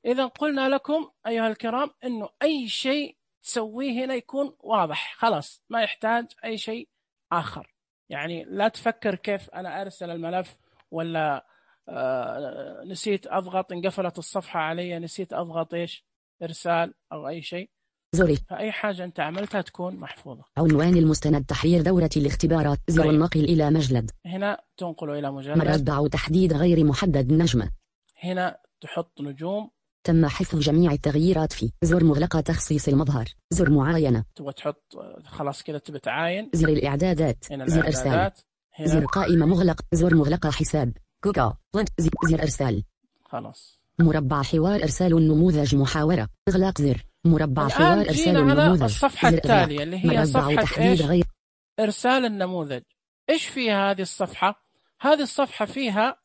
إذا قلنا لكم أيها الكرام إنه أي شيء تسويه هنا يكون واضح خلاص ما يحتاج أي شيء آخر. يعني لا تفكر كيف أنا أرسل الملف ولا نسيت أضغط انقفلت الصفحة علي نسيت أضغط إيش إرسال أو أي شيء. زوري فأي حاجة أنت عملتها تكون محفوظة. عنوان المستند تحرير دورة الاختبارات زر النقل إلى مجلد هنا تنقله إلى مجلد مربع تحديد غير محدد نجمة هنا تحط نجوم تم حفظ جميع التغييرات فيه زر مغلقة تخصيص المظهر زر معاينة تبغى تحط خلاص كذا تبى تعاين زر الإعدادات زر إرسال زر قائمة مغلق زر مغلقة حساب جوجل زر إرسال خلاص مربع حوار إرسال النموذج محاورة إغلاق زر مربع حوار إرسال النموذج الصفحة التالية اللي هي صفحة إيش غير إرسال النموذج. إيش فيها هذه الصفحة؟ هذه الصفحة فيها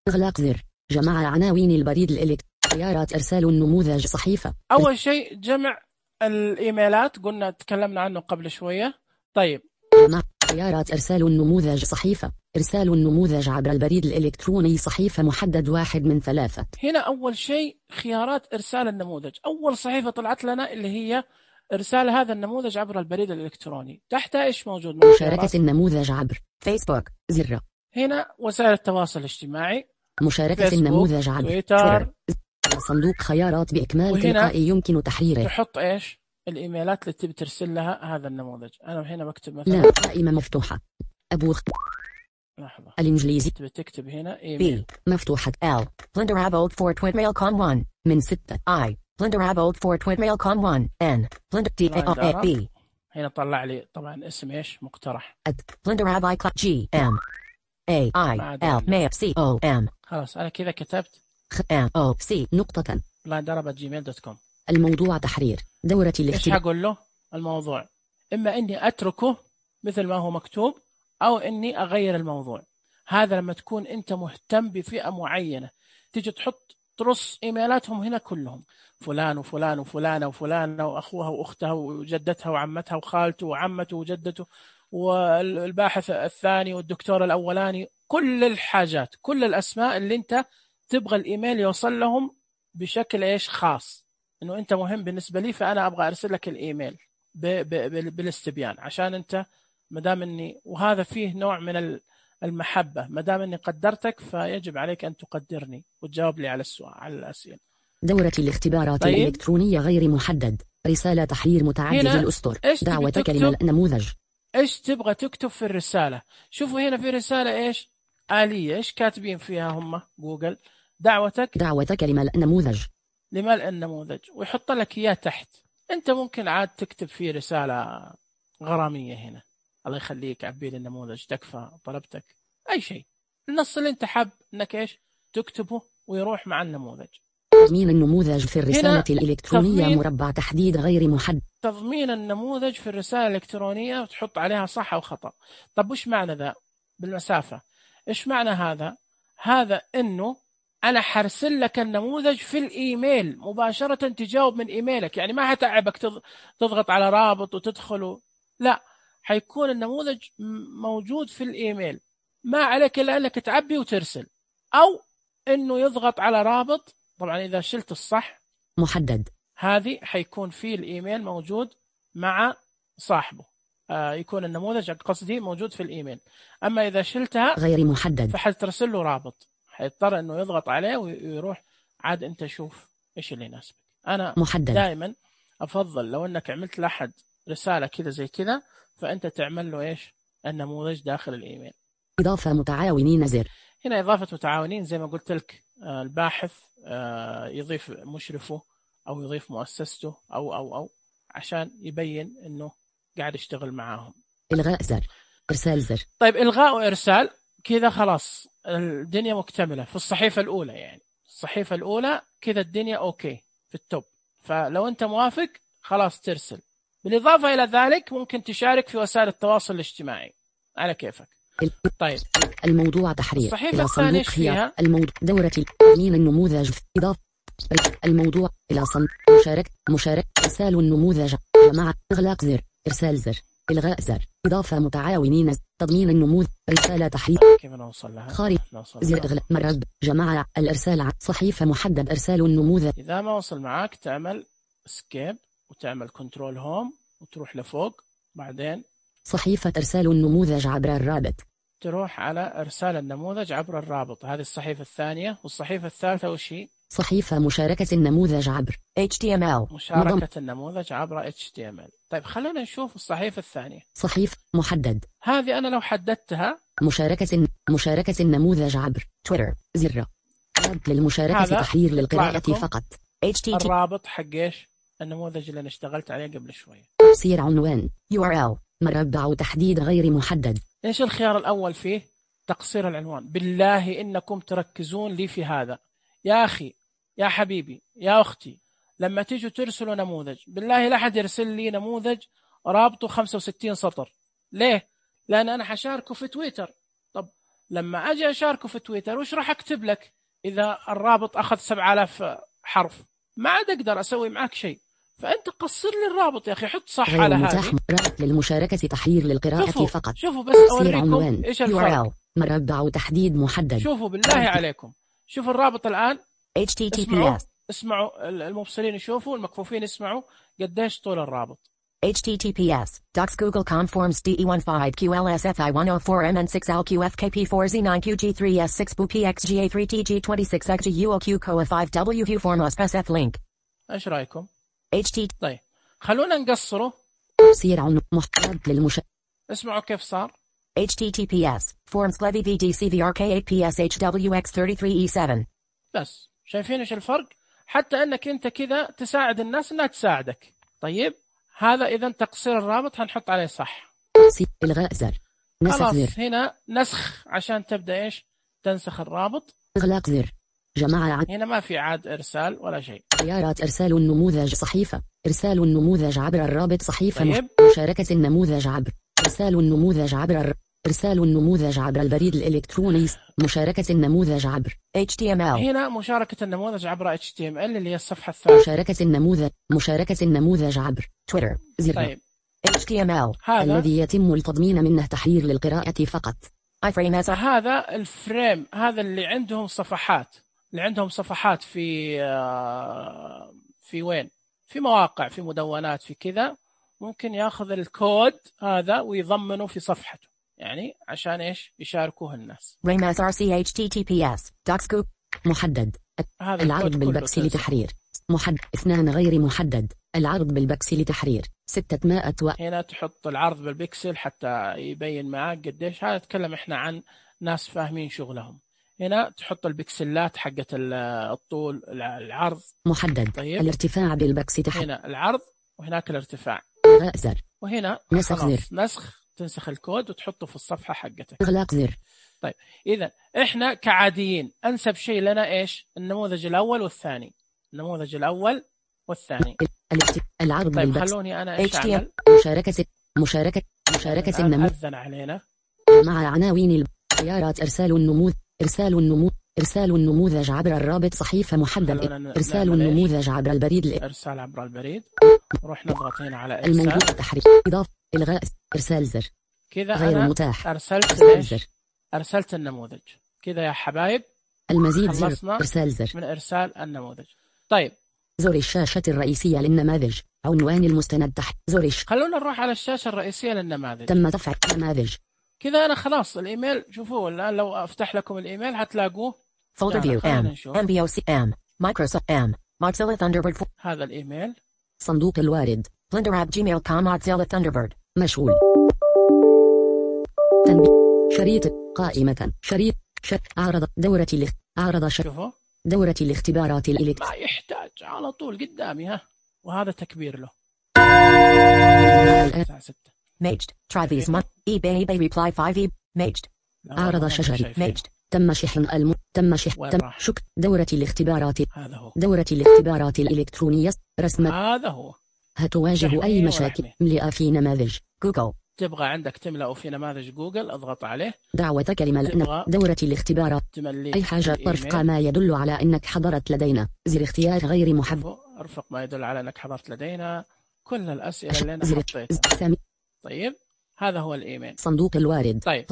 إغلاق زر جمع عناوين البريد الإلكتروني خيارات إرسال النموذج صحيفة. أول شيء جمع الإيميلات قلنا تكلمنا عنه قبل شوية. طيب جمع خيارات إرسال النموذج صحيفة إرسال النموذج عبر البريد الإلكتروني صحيفة محدد 1 من 3. هنا أول شيء خيارات إرسال النموذج أول صحيفة طلعت لنا اللي هي إرسال هذا النموذج عبر البريد الإلكتروني. تحت إيش موجود؟ مشاركة النموذج عبر فيسبوك زر هنا وسائل التواصل الاجتماعي مشاركة النموذج عبر تويتر صندوق خيارات بإكمال تلقائي يمكن تحريره. تحط إيش الإيميلات اللي تبي ترسل لها هذا النموذج. أنا هنا بكتب مثلا لا قائمة مفتوحة أبوخ لحظة الإنجليزي تبي تكتب هنا إيميل مفتوحة L Blinderabold for Twitmail.com 1 من 6 I Blinderabold for Twitmail.com 1 N Blinder هنا طلع لي طبعا اسم إيش مقترح Blinderab G M A I L M C O M خلاص أنا كذا كتبت M O C نقطة blinderab@gmail.com. الموضوع تحرير دورة إيش هقول له الموضوع إما إني أتركه مثل ما هو مكتوب أو إني أغير الموضوع. هذا لما تكون أنت مهتم بفئة معينة تيجي تحط ترص إيميلاتهم هنا كلهم فلان وفلان وفلانة وفلانة وأخوها وأختها وجدتها وعمتها وخالته وعمته وجدته والباحث الثاني والدكتور الأولاني كل الحاجات كل الأسماء اللي أنت تبغى الإيميل يوصل لهم بشكل إيش خاص، إنه أنت مهم بالنسبة لي، فأنا أبغى أرسل لك الإيميل بالاستبيان، عشان أنت مدام إني، وهذا فيه نوع من المحبة، مدام إني قدرتك فيجب عليك أن تقدرني وتجاوب لي على السؤال، على الأسئلة. دورة الاختبارات الإلكترونية غير محدد. رسالة تحرير متعدد الأسطر. دعوة كلمة نموذج. إيش تبغى تكتب في الرسالة؟ شوفوا هنا في رسالة إيش آلية، إيش كاتبين فيها هم جوجل؟ دعوة كلمة نموذج لملء النموذج، ويحط لك إياه تحت. أنت ممكن عاد تكتب فيه رسالة غرامية هنا، الله يخليك عبي لي النموذج، تكفى طلبتك، أي شيء، النص اللي أنت حاب إنك إيش تكتبه ويروح مع النموذج. تضمين النموذج في الرسالة الإلكترونية مربع تحديد غير محدد. تضمين النموذج في الرسالة الإلكترونية وتحط عليها صح أو خطأ. طب وش معنى ذا بالمسافة؟ إيش معنى هذا؟ هذا إنه أنا حرسل لك النموذج في الإيميل مباشرة، تجاوب من إيميلك، يعني ما هتعبك تضغط على رابط وتدخله، لا، حيكون النموذج موجود في الإيميل، ما عليك إلا أنك تعبي وترسل، أو إنه يضغط على رابط. طبعا إذا شلت الصح محدد، هذه حيكون في الإيميل موجود مع صاحبه، يكون النموذج قصدي موجود في الإيميل. أما إذا شلتها غير محدد فحترسل له رابط، حيضطر إنه يضغط عليه ويروح، عاد أنت شوف إيش اللي يناسبك. أنا محدد. دائما أفضل لو أنك عملت لأحد رسالة كذا زي كذا، فأنت تعمل له إيش النموذج داخل الإيميل. إضافة متعاونين زر. هنا إضافة متعاونين زي ما قلت لك، الباحث يضيف مشرفه أو يضيف مؤسسته أو عشان يبين إنه قاعد يشتغل معاهم. إلغاء زر، إرسال زر. طيب إلغاء وإرسال كذا خلاص الدنيا مكتملة في الصحيفة الأولى، يعني الصحيفة الأولى كذا الدنيا أوكي في التوب، فلو أنت موافق خلاص ترسل. بالإضافة إلى ذلك ممكن تشارك في وسائل التواصل الاجتماعي على كيفك. طيب الموضوع تحرير. الصحيفة الثانية فيها الموضوع دورة تضمين النموذج. إضافة الموضوع إلى صندوق مشارك إرسال النموذج. جماعة إغلاق زر، إرسال زر، إلغاء زر. إضافة متعاونين تضمين النموذج. رسالة تحرير. كيف نوصل لها؟ خارج زر إغلاق مرد. جماعة الإرسال. صحيفة محدد. إرسال النموذج. إذا ما وصل معك تعمل اسكيب وتعمل كنترول هوم وتروح لفوق، بعدين صحيفة إرسال النموذج عبر الرابط، تروح على إرسال النموذج عبر الرابط. هذه الصحيفة الثانية. والصحيفة الثالثة وش هي؟ صحيفة مشاركة النموذج عبر HTML. مشاركة النموذج عبر HTML. طيب خلونا نشوف الصحيفة الثانية. صحيفة محدد. هذه أنا لو حددتها مشاركة النموذج عبر تويتر. زر رابط للمشاركة تحرير للقراءة فقط. الرابط حق إيش؟ النموذج اللي أنا اشتغلت عليه قبل شوية. تفسير عنوان URL مربع تحديد غير محدد. إيش الخيار الأول فيه؟ تقصير العنوان. بالله إنكم تركزون لي في هذا يا أخي، يا حبيبي، يا أختي، لما تيجوا ترسلوا نموذج بالله لا أحد يرسل لي نموذج رابطه 65 سطر. ليه؟ لأن أنا حشاركه في تويتر. طب لما أجي أشاركه في تويتر وش راح أكتب لك إذا الرابط أخذ 7000 حرف؟ ما عاد أقدر أسوي معك شيء. فأنت قصر لي الرابط يا أخي، حط صح على هذه. رابط للمشاركة تحرير للقراءة فقط. شوفوا بس أوريكم إيش الفرق. مربع تحديد محدد. شوفوا بالله عليكم، شوفوا الرابط الآن. HTTPS. اسمعوا المبصرين يشوفوا، المكفوفين يسمعوا قديش طول الرابط. HTTPS docs Google Conforms DE15QLSFI104MN6LQFKP4Z9QG3S6BPXGA3TG26XGUOQ COA5W Formos SF link. ايش رايكم؟ طيب خلونا نقصره. تفسير عن محتوى اسمعوا كيف صار. HTTPS forms Levy VDCVRK8PSHWX33E7. بس شايفين ايش الفرق؟ حتى انك انت كذا تساعد الناس انها تساعدك. طيب هذا اذا تقصير الرابط هنحط عليه صح. إلغاء زر. خلاص زر. هنا نسخ عشان تبدأ ايش؟ تنسخ الرابط. إغلاق زر. جماعة هنا ما في عاد إرسال ولا شيء. خيارات إرسال النموذج. صحيفة إرسال النموذج عبر الرابط. صحيفة طيب. مشاركة النموذج عبر إرسال النموذج عبر إرسال النموذج عبر البريد الإلكتروني. مشاركة النموذج عبر HTML. هنا مشاركة النموذج عبر HTML اللي هي الصفحة الثانية. مشاركة النموذج عبر تويتر. زر. طيب. HTML الذي يتم التضمين منه تحرير للقراءة فقط. هذا الفريم، هذا اللي عندهم صفحات. اللي عندهم صفحات في وين، في مواقع، في مدونات، في كذا، ممكن ياخذ الكود هذا ويضمنه في صفحته، يعني عشان ايش يشاركوه الناس. ريماس RCHTTPS دوكسكوب محدد. العرض بالبكس لتحرير محدد. 2 غير محدد. العرض بالبكس لتحرير 600 هنا تحط العرض بالبكسل حتى يبين معاك قديش. هذا نتكلم احنا عن ناس فاهمين شغلهم. هنا تحط البكسلات حقت الطول، العرض محدد. طيب. الارتفاع بالبكس تحرير. هنا العرض وهناك الارتفاع. زر. وهنا نسخ زر. نسخ، تنسخ الكود وتحطه في الصفحة حقتك. اغلاق زر. طيب إذا إحنا كعاديين أنسب شيء لنا إيش؟ النموذج الأول والثاني. النموذج الأول والثاني. العرض طيب بالبكس. خلوني أنا إيش أعمل؟ مشاركة النموذج. أذن علينا. مع عناوين خيارات إرسال النموذج عبر الرابط صحيفة محدد. إرسال النموذج عبر البريد. إرسال عبر البريد. روح نضغط هنا على إرسال. الموجود تحريك. إضافة. إلغاء. إرسال زر. كذا غير أنا متاح. أرسلت النموذج. كذا يا حبايب. المزيد زر. إرسال زر. من إرسال النموذج. طيب. زر الشاشة الرئيسية للنماذج. عنوان المستند تحت. خلونا نروح على الشاشة الرئيسية للنماذج. تم تفعيل نماذج. كذا أنا خلاص الإيميل. شوفوا الآن لو أفتح لكم الإيميل هتلاقوه. Folder view MBOC Microsoft Mozilla Thunderbird. هذا الإيميل. صندوق الوارد blender@gmail.com Mozilla Thunderbird. مشغول. تنبيه. شريط قائمة. شريط أعرض شوفوا دورة الاختبارات ما يحتاج على طول قدامي ها. وهذا تكبير له. Maged. Try these months. eBay reply 5 Maged. أعرض شجري. Maged. تم شحن شكر. دورة الاختبارات. هذا هو. دورة الاختبارات الإلكترونية. رسم. هذا هو. هتواجه أي مشاكل. املأ في نماذج جوجل. تبغى عندك تملأ في نماذج جوجل، اضغط عليه. دعوة كلمة دورة الاختبارات. أي حاجة ترفق ما يدل على أنك حضرت لدينا. زر اختيار غير محدد. ارفق ما يدل على أنك حضرت لدينا. كل الأسئلة اللي أنا حطيتها. طيب هذا هو الإيميل. صندوق الوارد. طيب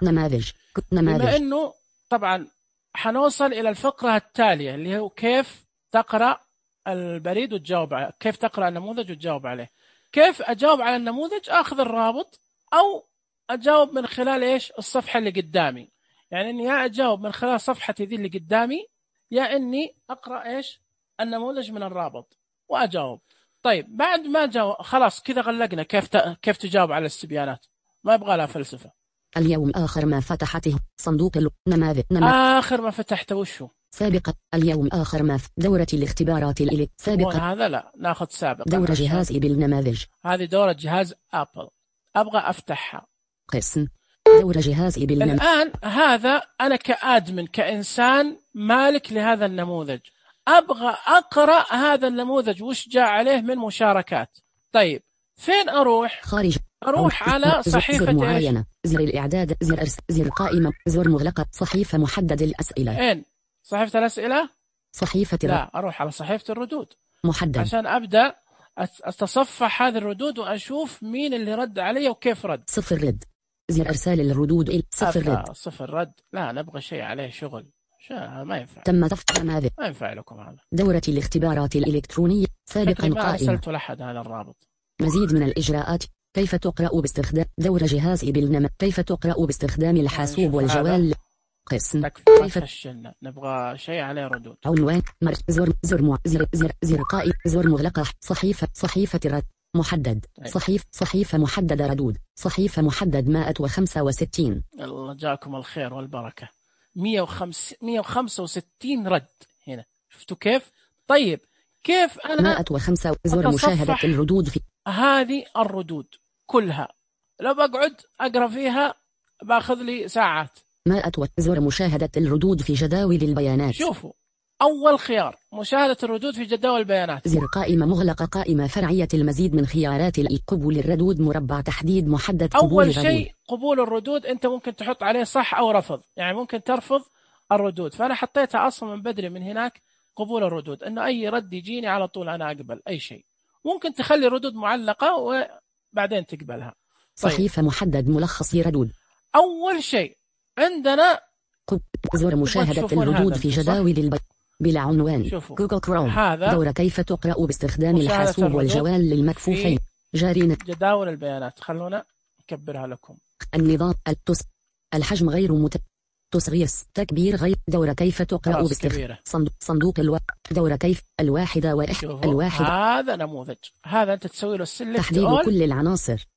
نماذج. بما أنه طبعا حنوصل إلى الفقرة التالية اللي هو كيف تقرأ البريد وتجاوب عليه. كيف تقرأ النموذج وتجاوب عليه. كيف أجاوب على النموذج؟ أخذ الرابط أو أجاوب من خلال إيش الصفحة اللي قدامي. يعني إني يا أجاوب من خلال صفحتي ذي اللي قدامي، يا إني أقرأ إيش النموذج من الرابط وأجاوب. طيب بعد ما جاوب خلاص كذا غلقنا كيف تجاوب على الاستبيانات. ما يبغى لها فلسفة. اليوم آخر ما فتحته صندوق نماذج. آخر ما فتحته وشو؟ سابقا. اليوم آخر ما دورة الاختبارات سابقا. هذا لا ناخذ سابقا. دورة جهازي بالنماذج. هذه دورة جهاز أبل. أبغى أفتحها. قسم. دورة جهازي بالنماذج. الآن هذا أنا كأدمن كإنسان مالك لهذا النموذج، أبغى أقرأ هذا النموذج وش جاء عليه من مشاركات. طيب فين أروح؟ خارج. أروح على صحيفة زر معينة. زر الإعداد. زر أرسل. زر قائمة. زر مغلقة. صحيفة محدد الأسئلة. إن صحيفة الأسئلة. صحيفة لا أروح على صحيفة الردود محدد عشان أبدأ أتصفح هذه الردود وأشوف مين اللي رد علي وكيف رد. صفر رد. زر إرسال الردود. صفر رد. صفر رد. لا نبغى شيء عليه شغل. ما ينفع. تم تفتح نماذج. ما ينفع لكم هذا. دورة الاختبارات الإلكترونية سابقا قائمة. ما أرسلت لأحد هذا الرابط. مزيد من الإجراءات. كيف تقرأ باستخدام دورة جهازي بالنماذج. كيف تقرأ باستخدام الحاسوب والجوال. قسم. كيف فشلنا. نبغى شيء عليه ردود. عنوان. زر قائمة. زر مغلقة. صحيفة رد محدد. صحيفة محددة ردود. صحيفة محدد 165. الله جاكم الخير والبركة. 165 رد هنا. شفتوا كيف؟ طيب كيف أنا 105 زر مشاهدة الردود في هذه الردود كلها. لو بقعد أقرأ فيها باخذ لي ساعات. 100 زر مشاهدة الردود في جداول البيانات. شوفوا أول خيار مشاهدة الردود في جداول البيانات. زر قائمة مغلقة. قائمة فرعية. المزيد من خيارات قبول الردود. مربع تحديد محدد. أول شيء قبول الردود أنت ممكن تحط عليه صح أو رفض، يعني ممكن ترفض الردود. فأنا حطيتها أصلا من بدري من هناك قبول الردود، إنه أي رد يجيني على طول أنا أقبل أي شيء. ممكن تخلي الردود معلقة وبعدين تقبلها. طيب. صحيفة محدد ملخص ردود. أول شيء عندنا زر مشاهدة الردود في جداول بلا عنوان. جوجل كروم. دور كيف تقرأ باستخدام الحاسوب والجوال للمكفوفين. جارين جداول البيانات. خلونا نكبرها لكم. النظام الحجم غير تصغير تكبير غير. دور كيف تقرأ باستخدام صندوق دور كيف الواحدة الواحدة. هذا نموذج. هذا أنت تسوي له السلكت تحديد كل العناصر.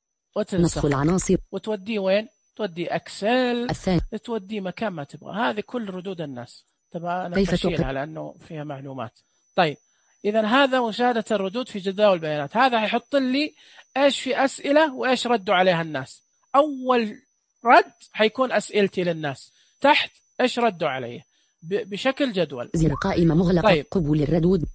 نسخ العناصر وتوديه وين؟ تودي أكسل الثاني. تودي مكان ما تبغى. هذه كل ردود الناس. طبعا أنا بشيلها لأنه فيها معلومات. طيب إذا هذا مشاهدة الردود في جداول البيانات. هذا هيحط لي إيش في أسئلة وإيش ردوا عليها الناس. أول رد حيكون أسئلتي للناس، تحت إيش ردوا عليه بشكل جدول. زر قائمة مغلقة. طيب. قبول الردود.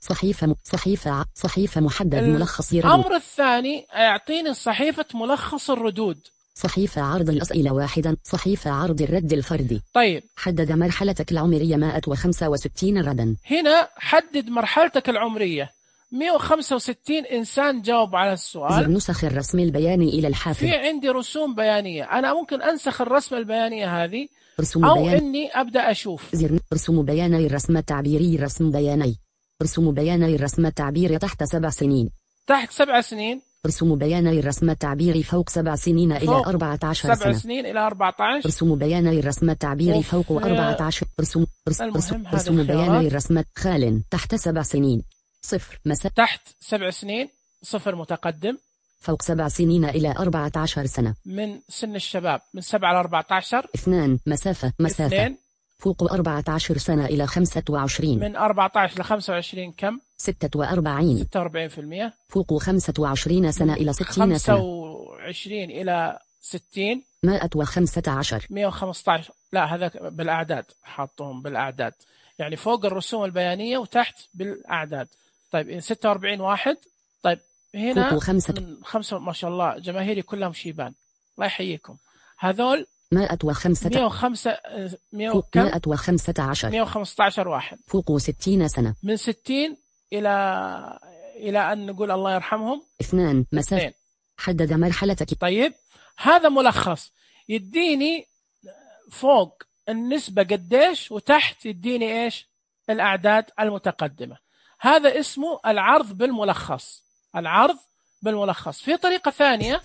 صحيفة محدد ملخص ردود. الأمر الثاني يعطيني صحيفة ملخص الردود. صحيفة عرض الأسئلة واحدا. صحيفة عرض الرد الفردي. طيب حدد مرحلتك العمرية 165 ردا. هنا حدد مرحلتك العمرية. 165 إنسان جاوب على السؤال. زر نسخ الرسم البياني إلى الحافظ. في عندي رسوم بيانية، أنا ممكن أنسخ الرسم البيانية هذه رسوم أو بيان. إني أبدأ أشوف. زر رسوم بياني الرسم التعبيري. رسم بياني. رسوم بياني الرسم التعبيري تحت 7 سنين. تحت 7 سنين. رسوم بياني الرسم التعبيري فوق 7 سنين إلى 14 سنة. 7 سنين إلى 14. رسوم بياني الرسم التعبيري فوق 14. رسوم بياني الرسم خال تحت 7 سنين. 0 تحت 7 سنين 0 متقدم. فوق 7 سنين إلى 14 سنة. من سن الشباب من 7 إلى 14. 2 مسافة 2 فوق 14 سنة إلى 25. من 14 إلى 25 كم؟ 46. 46%. فوق 25 سنة إلى 60 سنة. 25 إلى 60. 115. 115. لا هذا بالأعداد، حاطهم بالأعداد، يعني فوق الرسوم البيانية وتحت بالأعداد. طيب 46 واحد. طيب هنا من 5 ما شاء الله جماهيري كلهم شيبان، الله يحييكم. هذول 115 واحد فوق 60 سنة. من 60 إلى أن نقول الله يرحمهم 2 مسافة. حدد مرحلتك. طيب هذا ملخص يديني فوق النسبة قديش وتحت يديني إيش الأعداد المتقدمة. هذا اسمه العرض بالملخص. العرض بالملخص. في طريقة ثانية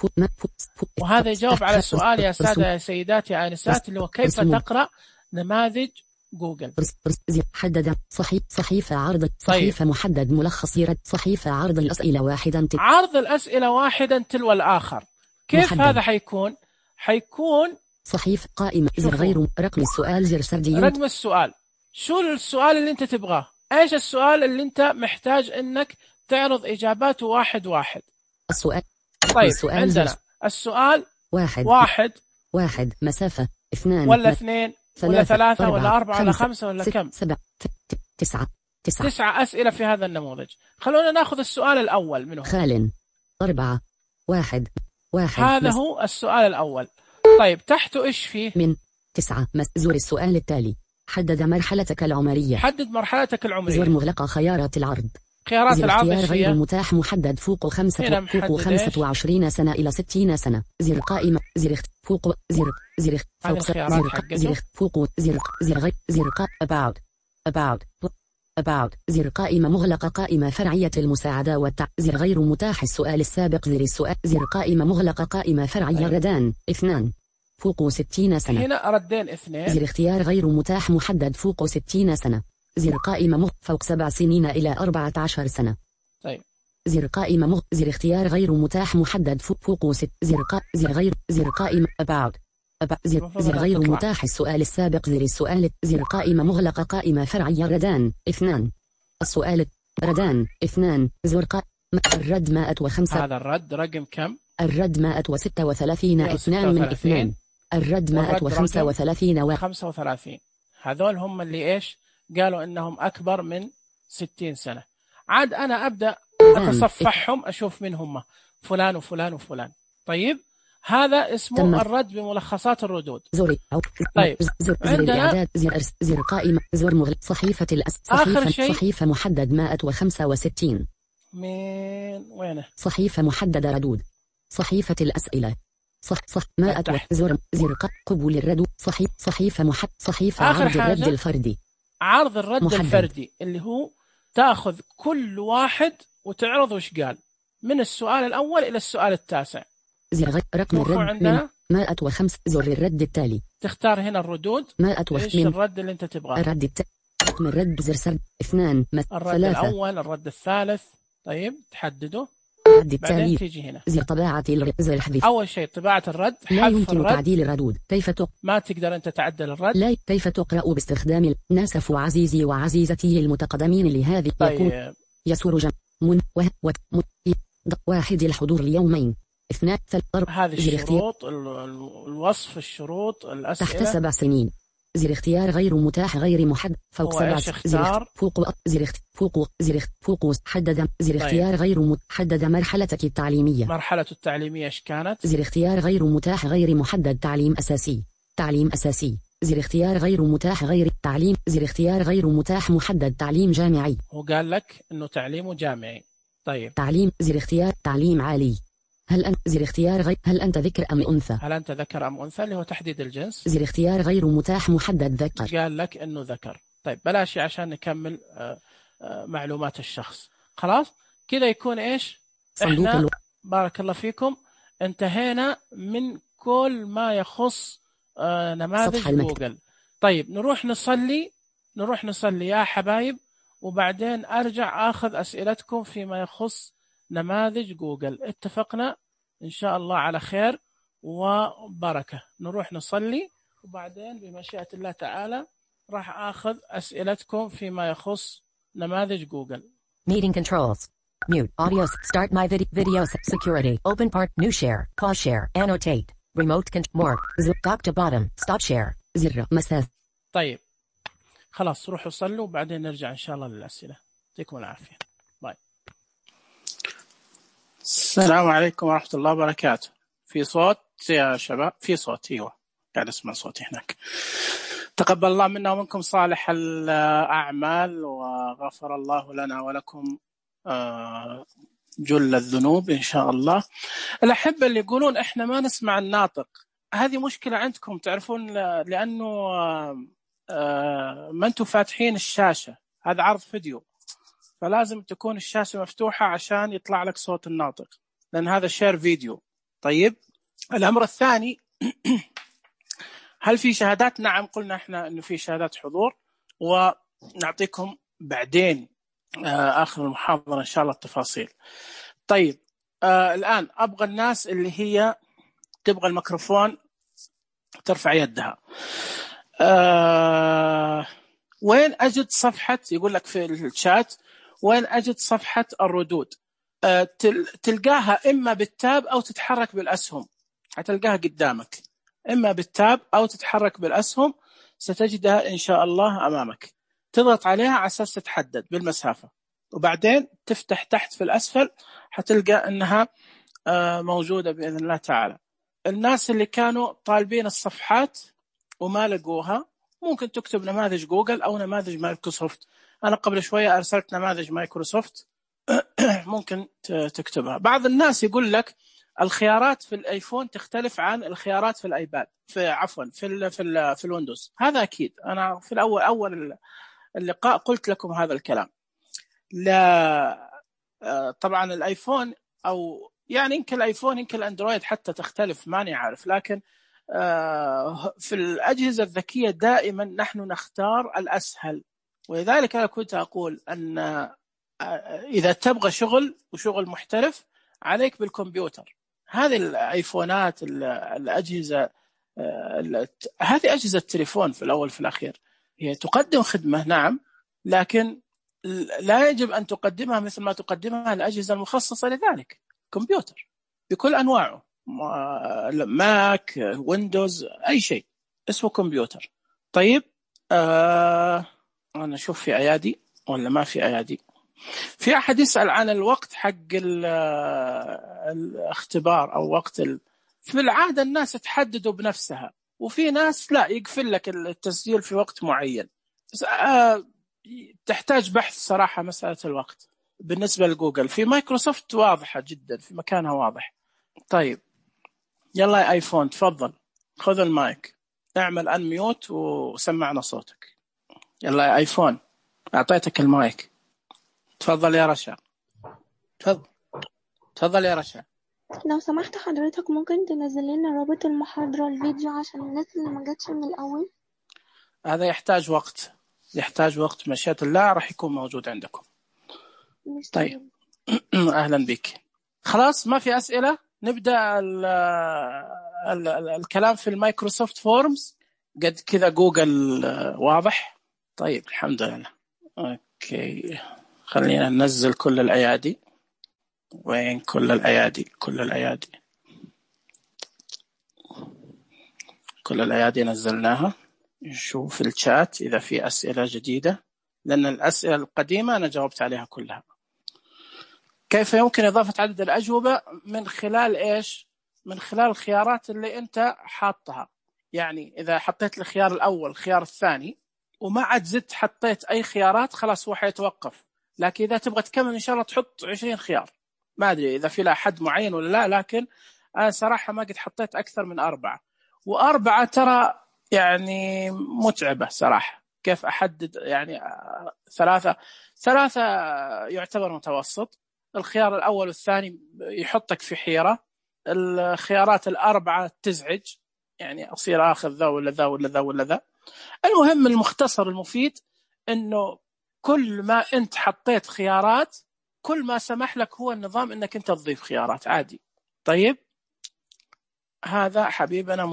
وهذا يجاوب على السؤال يا سادة يا سيدات يا آنسات اللي هو كيف تقرأ نماذج جوجل. حدد صحيفة عرض. صحيفة محدد ملخص رد. صحيفة عرض الأسئلة واحدا. عرض الأسئلة واحدا تلو الآخر. كيف محدد. هذا حيكون صحيفة قائمة. زر غير رقم السؤال. زر سرديون. رقم السؤال. شو السؤال اللي انت تبغاه؟ ايش السؤال اللي انت محتاج انك تعرض اجاباته واحد. السؤال. طيب السؤال عندنا السؤال واحد مسافة 2 ولا 2 ولا 3 ولا 4 ولا 5 ولا كم؟ 7 9 أسئلة في هذا النموذج. خلونا ناخذ السؤال الأول منهم. خال 4 1 هذا هو السؤال الأول. طيب تحته إيش فيه؟ من 9 زور السؤال التالي. حدد مرحلتك العمرية. حدد مرحلتك العمرية. زور مغلقة. خيارات العرض. خيارات العرض غير متاح محدد فوق 25 سنة إلى 60 سنة. زر قائمة. زر فوق. زر فوق. فوق. زر about. زر قائمة مغلقة. قائمة فرعية المساعدة زر غير متاح السؤال السابق. زر السؤال. زر قائمة مغلقة. قائمة فرعية. ردان 2 فوق 60 سنة. هنا ردين 2. زر اختيار غير متاح محدد فوق 60 سنة. زر قائمة فوق 7 سنين إلى 14 سنة. طيب زر قائمة زر اختيار غير متاح محدد فوق 6. زر قائمة about. زر غير متاح السؤال السابق. زر السؤال. زر قائمة مغلقة. قائمة فرعية. ردان 2. السؤال. ردان 2. زر الرد 105. هذا الرد رقم كم؟ الرد 136. 2 من 2. الرد 135 35. هذول هم اللي إيش قالوا إنهم أكبر من 60 سنة. عاد أنا أبدأ أتصفحهم أشوف من هم فلان وفلان وفلان. طيب هذا اسمه الرد بملخصات الردود. طيب عندنا زر قائمة. زر مغلق. صحيفة صحيفة محدد 165. من وينه؟ صحيفة محددة ردود. صحيفة الأسئلة. صح ما زر قبول الرد صحيفة صحيفة عرض الرد الفردي. عرض الرد الفردي اللي هو تأخذ كل واحد وتعرض وش قال من السؤال الأول إلى السؤال التاسع. زر رقم الرد من 105. زر الرد التالي. تختار هنا الردود. إيش الرد اللي أنت تبغاه؟ رقم الرد زر 2 الرد 3. الأول الرد الثالث. طيب تحدده. الرد التالي. تيجي هنا زر طباعة زر الحذف. أول شيء طباعة الرد. لا يمكن تعديل الردود. ما تقدر أنت تعدل الرد. لا. كيف تقرأ باستخدام ناسف عزيزي وعزيزتي المتقدمين لهذه. طيب. يسر واحد الحضور اليومين 2 3. هذه الشروط الوصف الشروط الأسئلة. تحت 7 سنين. زر اختيار غير متاح غير محدد فوق 7 سنين. فوق حدد. زر اختيار غير محدد. مرحلتك التعليمية. مرحلة التعليمية ايش كانت؟ زر اختيار غير متاح غير محدد. تعليم أساسي. زر اختيار غير متاح غير تعليم. زر اختيار غير متاح محدد. تعليم جامعي. هو قال لك انه تعليمه جامعي. طيب. تعليم. زر اختيار تعليم عالي. زر اختيار هل أنت ذكر أم أنثى؟ هل أنت ذكر أم أنثى اللي هو تحديد الجنس. زر اختيار غير متاح محدد. ذكر. قال لك إنه ذكر. طيب بلاش عشان نكمل معلومات الشخص. خلاص كذا يكون إيش؟ إحنا بارك الله فيكم انتهينا من كل ما يخص نماذج جوجل. طيب نروح نصلي يا حبايب، وبعدين أرجع أخذ أسئلتكم فيما يخص نماذج جوجل. اتفقنا إن شاء الله على خير وبركة. نروح نصلي وبعدين بمشيئة الله تعالى راح أخذ أسئلتكم فيما يخص نماذج جوجل. Meeting controls. Mute. Audio. Start my video. Security. Open part. New share. Pause share. Annotate. Remote control. More. Zip. Top to bottom. Stop share. زر مسافة. طيب خلاص روحوا صلوا وبعدين نرجع إن شاء الله للأسئلة. يعطيكم العافية. باي. السلام عليكم ورحمة الله وبركاته. في صوت يا شباب؟ في صوت. ايوه قاعد اسمع صوتي هناك. تقبل الله منا ومنكم صالح الأعمال وغفر الله لنا ولكم جل الذنوب إن شاء الله. الأحبة اللي يقولون إحنا ما نسمع الناطق، هذه مشكلة عندكم تعرفون، لأنه ما أنتم فاتحين الشاشة. هذا عرض فيديو فلازم تكون الشاشة مفتوحة عشان يطلع لك صوت الناطق، لأن هذا شير فيديو. طيب الأمر الثاني هل في شهادات؟ نعم قلنا احنا انه في شهادات حضور ونعطيكم بعدين آخر المحاضرة ان شاء الله التفاصيل. طيب الآن أبغى الناس اللي هي تبغى الميكروفون ترفع يدها. وين أجد صفحة، يقول لك في الشات وين أجد صفحة الردود؟ تلقاها إما بالتاب أو تتحرك بالأسهم، هتلقاها قدامك إما بالتاب أو تتحرك بالأسهم، ستجدها إن شاء الله أمامك. تضغط عليها على أساس تتحدد بالمسافة، وبعدين تفتح تحت في الأسفل هتلقى أنها موجودة بإذن الله تعالى. الناس اللي كانوا طالبين الصفحات وما لقوها ممكن تكتب نماذج جوجل أو نماذج مايكروسوفت. أنا قبل شوية أرسلت نماذج مايكروسوفت ممكن تكتبها. بعض الناس يقول لك الخيارات في الايفون تختلف عن الخيارات في الايباد، في الويندوز. هذا اكيد انا في اول اللقاء قلت لكم هذا الكلام. لا طبعا الايفون او يعني يمكن الايفون يمكن الاندرويد حتى تختلف، ماني عارف، لكن في الاجهزه الذكيه دائما نحن نختار الاسهل. ولذلك انا كنت اقول ان اذا تبغى شغل وشغل محترف عليك بالكمبيوتر. هذه الايفونات الاجهزه هذه اجهزه تليفون في الاول في الاخير، هي تقدم خدمه نعم، لكن لا يجب ان تقدمها مثل ما تقدمها الاجهزه المخصصه لذلك. كمبيوتر بكل انواعه، ماك، ويندوز، اي شيء اسمه كمبيوتر. طيب انا اشوف في ايادي ولا ما في ايادي. في أحد يسأل عن الوقت حق الاختبار أو وقت في العادة الناس تحددوا بنفسها، وفي ناس لا يقفل لك التسجيل في وقت معين. تحتاج بحث صراحة مسألة الوقت. بالنسبة لجوجل في مايكروسوفت واضحة جدا، في مكانها واضح. طيب يلا يا ايفون تفضل، خذ المايك، اعمل انميوت وسمعنا صوتك. يلا يا ايفون، اعطيتك المايك، تفضل يا رشا. تفضل يا رشا. لو سمحت حضرتك ممكن تنزل لنا رابط المحاضرة الفيديو عشان الناس اللي ما جاتش من الأول؟ هذا يحتاج وقت، مشيئة الله راح يكون موجود عندكم. طيب أهلا بك. خلاص ما في أسئلة، نبدأ الكلام في المايكروسوفت فورمز. قد كذا جوجل واضح. طيب الحمد لله. أوكي خلينا ننزل كل الأيادي. وين كل الأيادي؟ كل الأيادي نزلناها. نشوف الشات إذا في أسئلة جديدة، لأن الأسئلة القديمة أنا جاوبت عليها كلها. كيف يمكن إضافة عدد الأجوبة؟ من خلال إيش؟ من خلال الخيارات اللي أنت حاطها. يعني إذا حطيت الخيار الأول الخيار الثاني وما عاد زدت حطيت أي خيارات، خلاص هو حيتوقف. لكن إذا تبغى تكمل إن شاء الله تحط 20 خيار. ما أدري إذا في له حد معين ولا لا، لكن أنا صراحة ما قد حطيت أكثر من 4. و4 ترى يعني متعبة صراحة. كيف أحدد؟ يعني ثلاثة يعتبر متوسط. الخيار الأول والثاني يحطك في حيرة. الخيارات 4 تزعج، يعني أصير آخذ ذا ولا ذا ولا ذا ولا ذا. المهم المختصر المفيد إنه كل ما أنت حطيت خيارات كل ما سمح لك هو النظام إنك أنت تضيف خيارات عادي. طيب هذا حبيبنا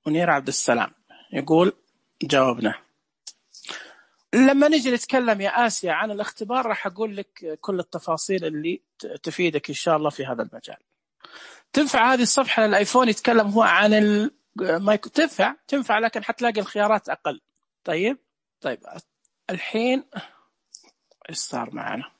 منير عبد السلام يقول جاوبنا. لما نجي نتكلم يا آسيا عن الاختبار راح أقول لك كل التفاصيل اللي تفيدك إن شاء الله في هذا المجال. تنفع هذه الصفحة للآيفون يتكلم هو عن المايكرو؟ تنفع لكن حتلاقي الخيارات أقل. طيب الحين إيش صار معنا؟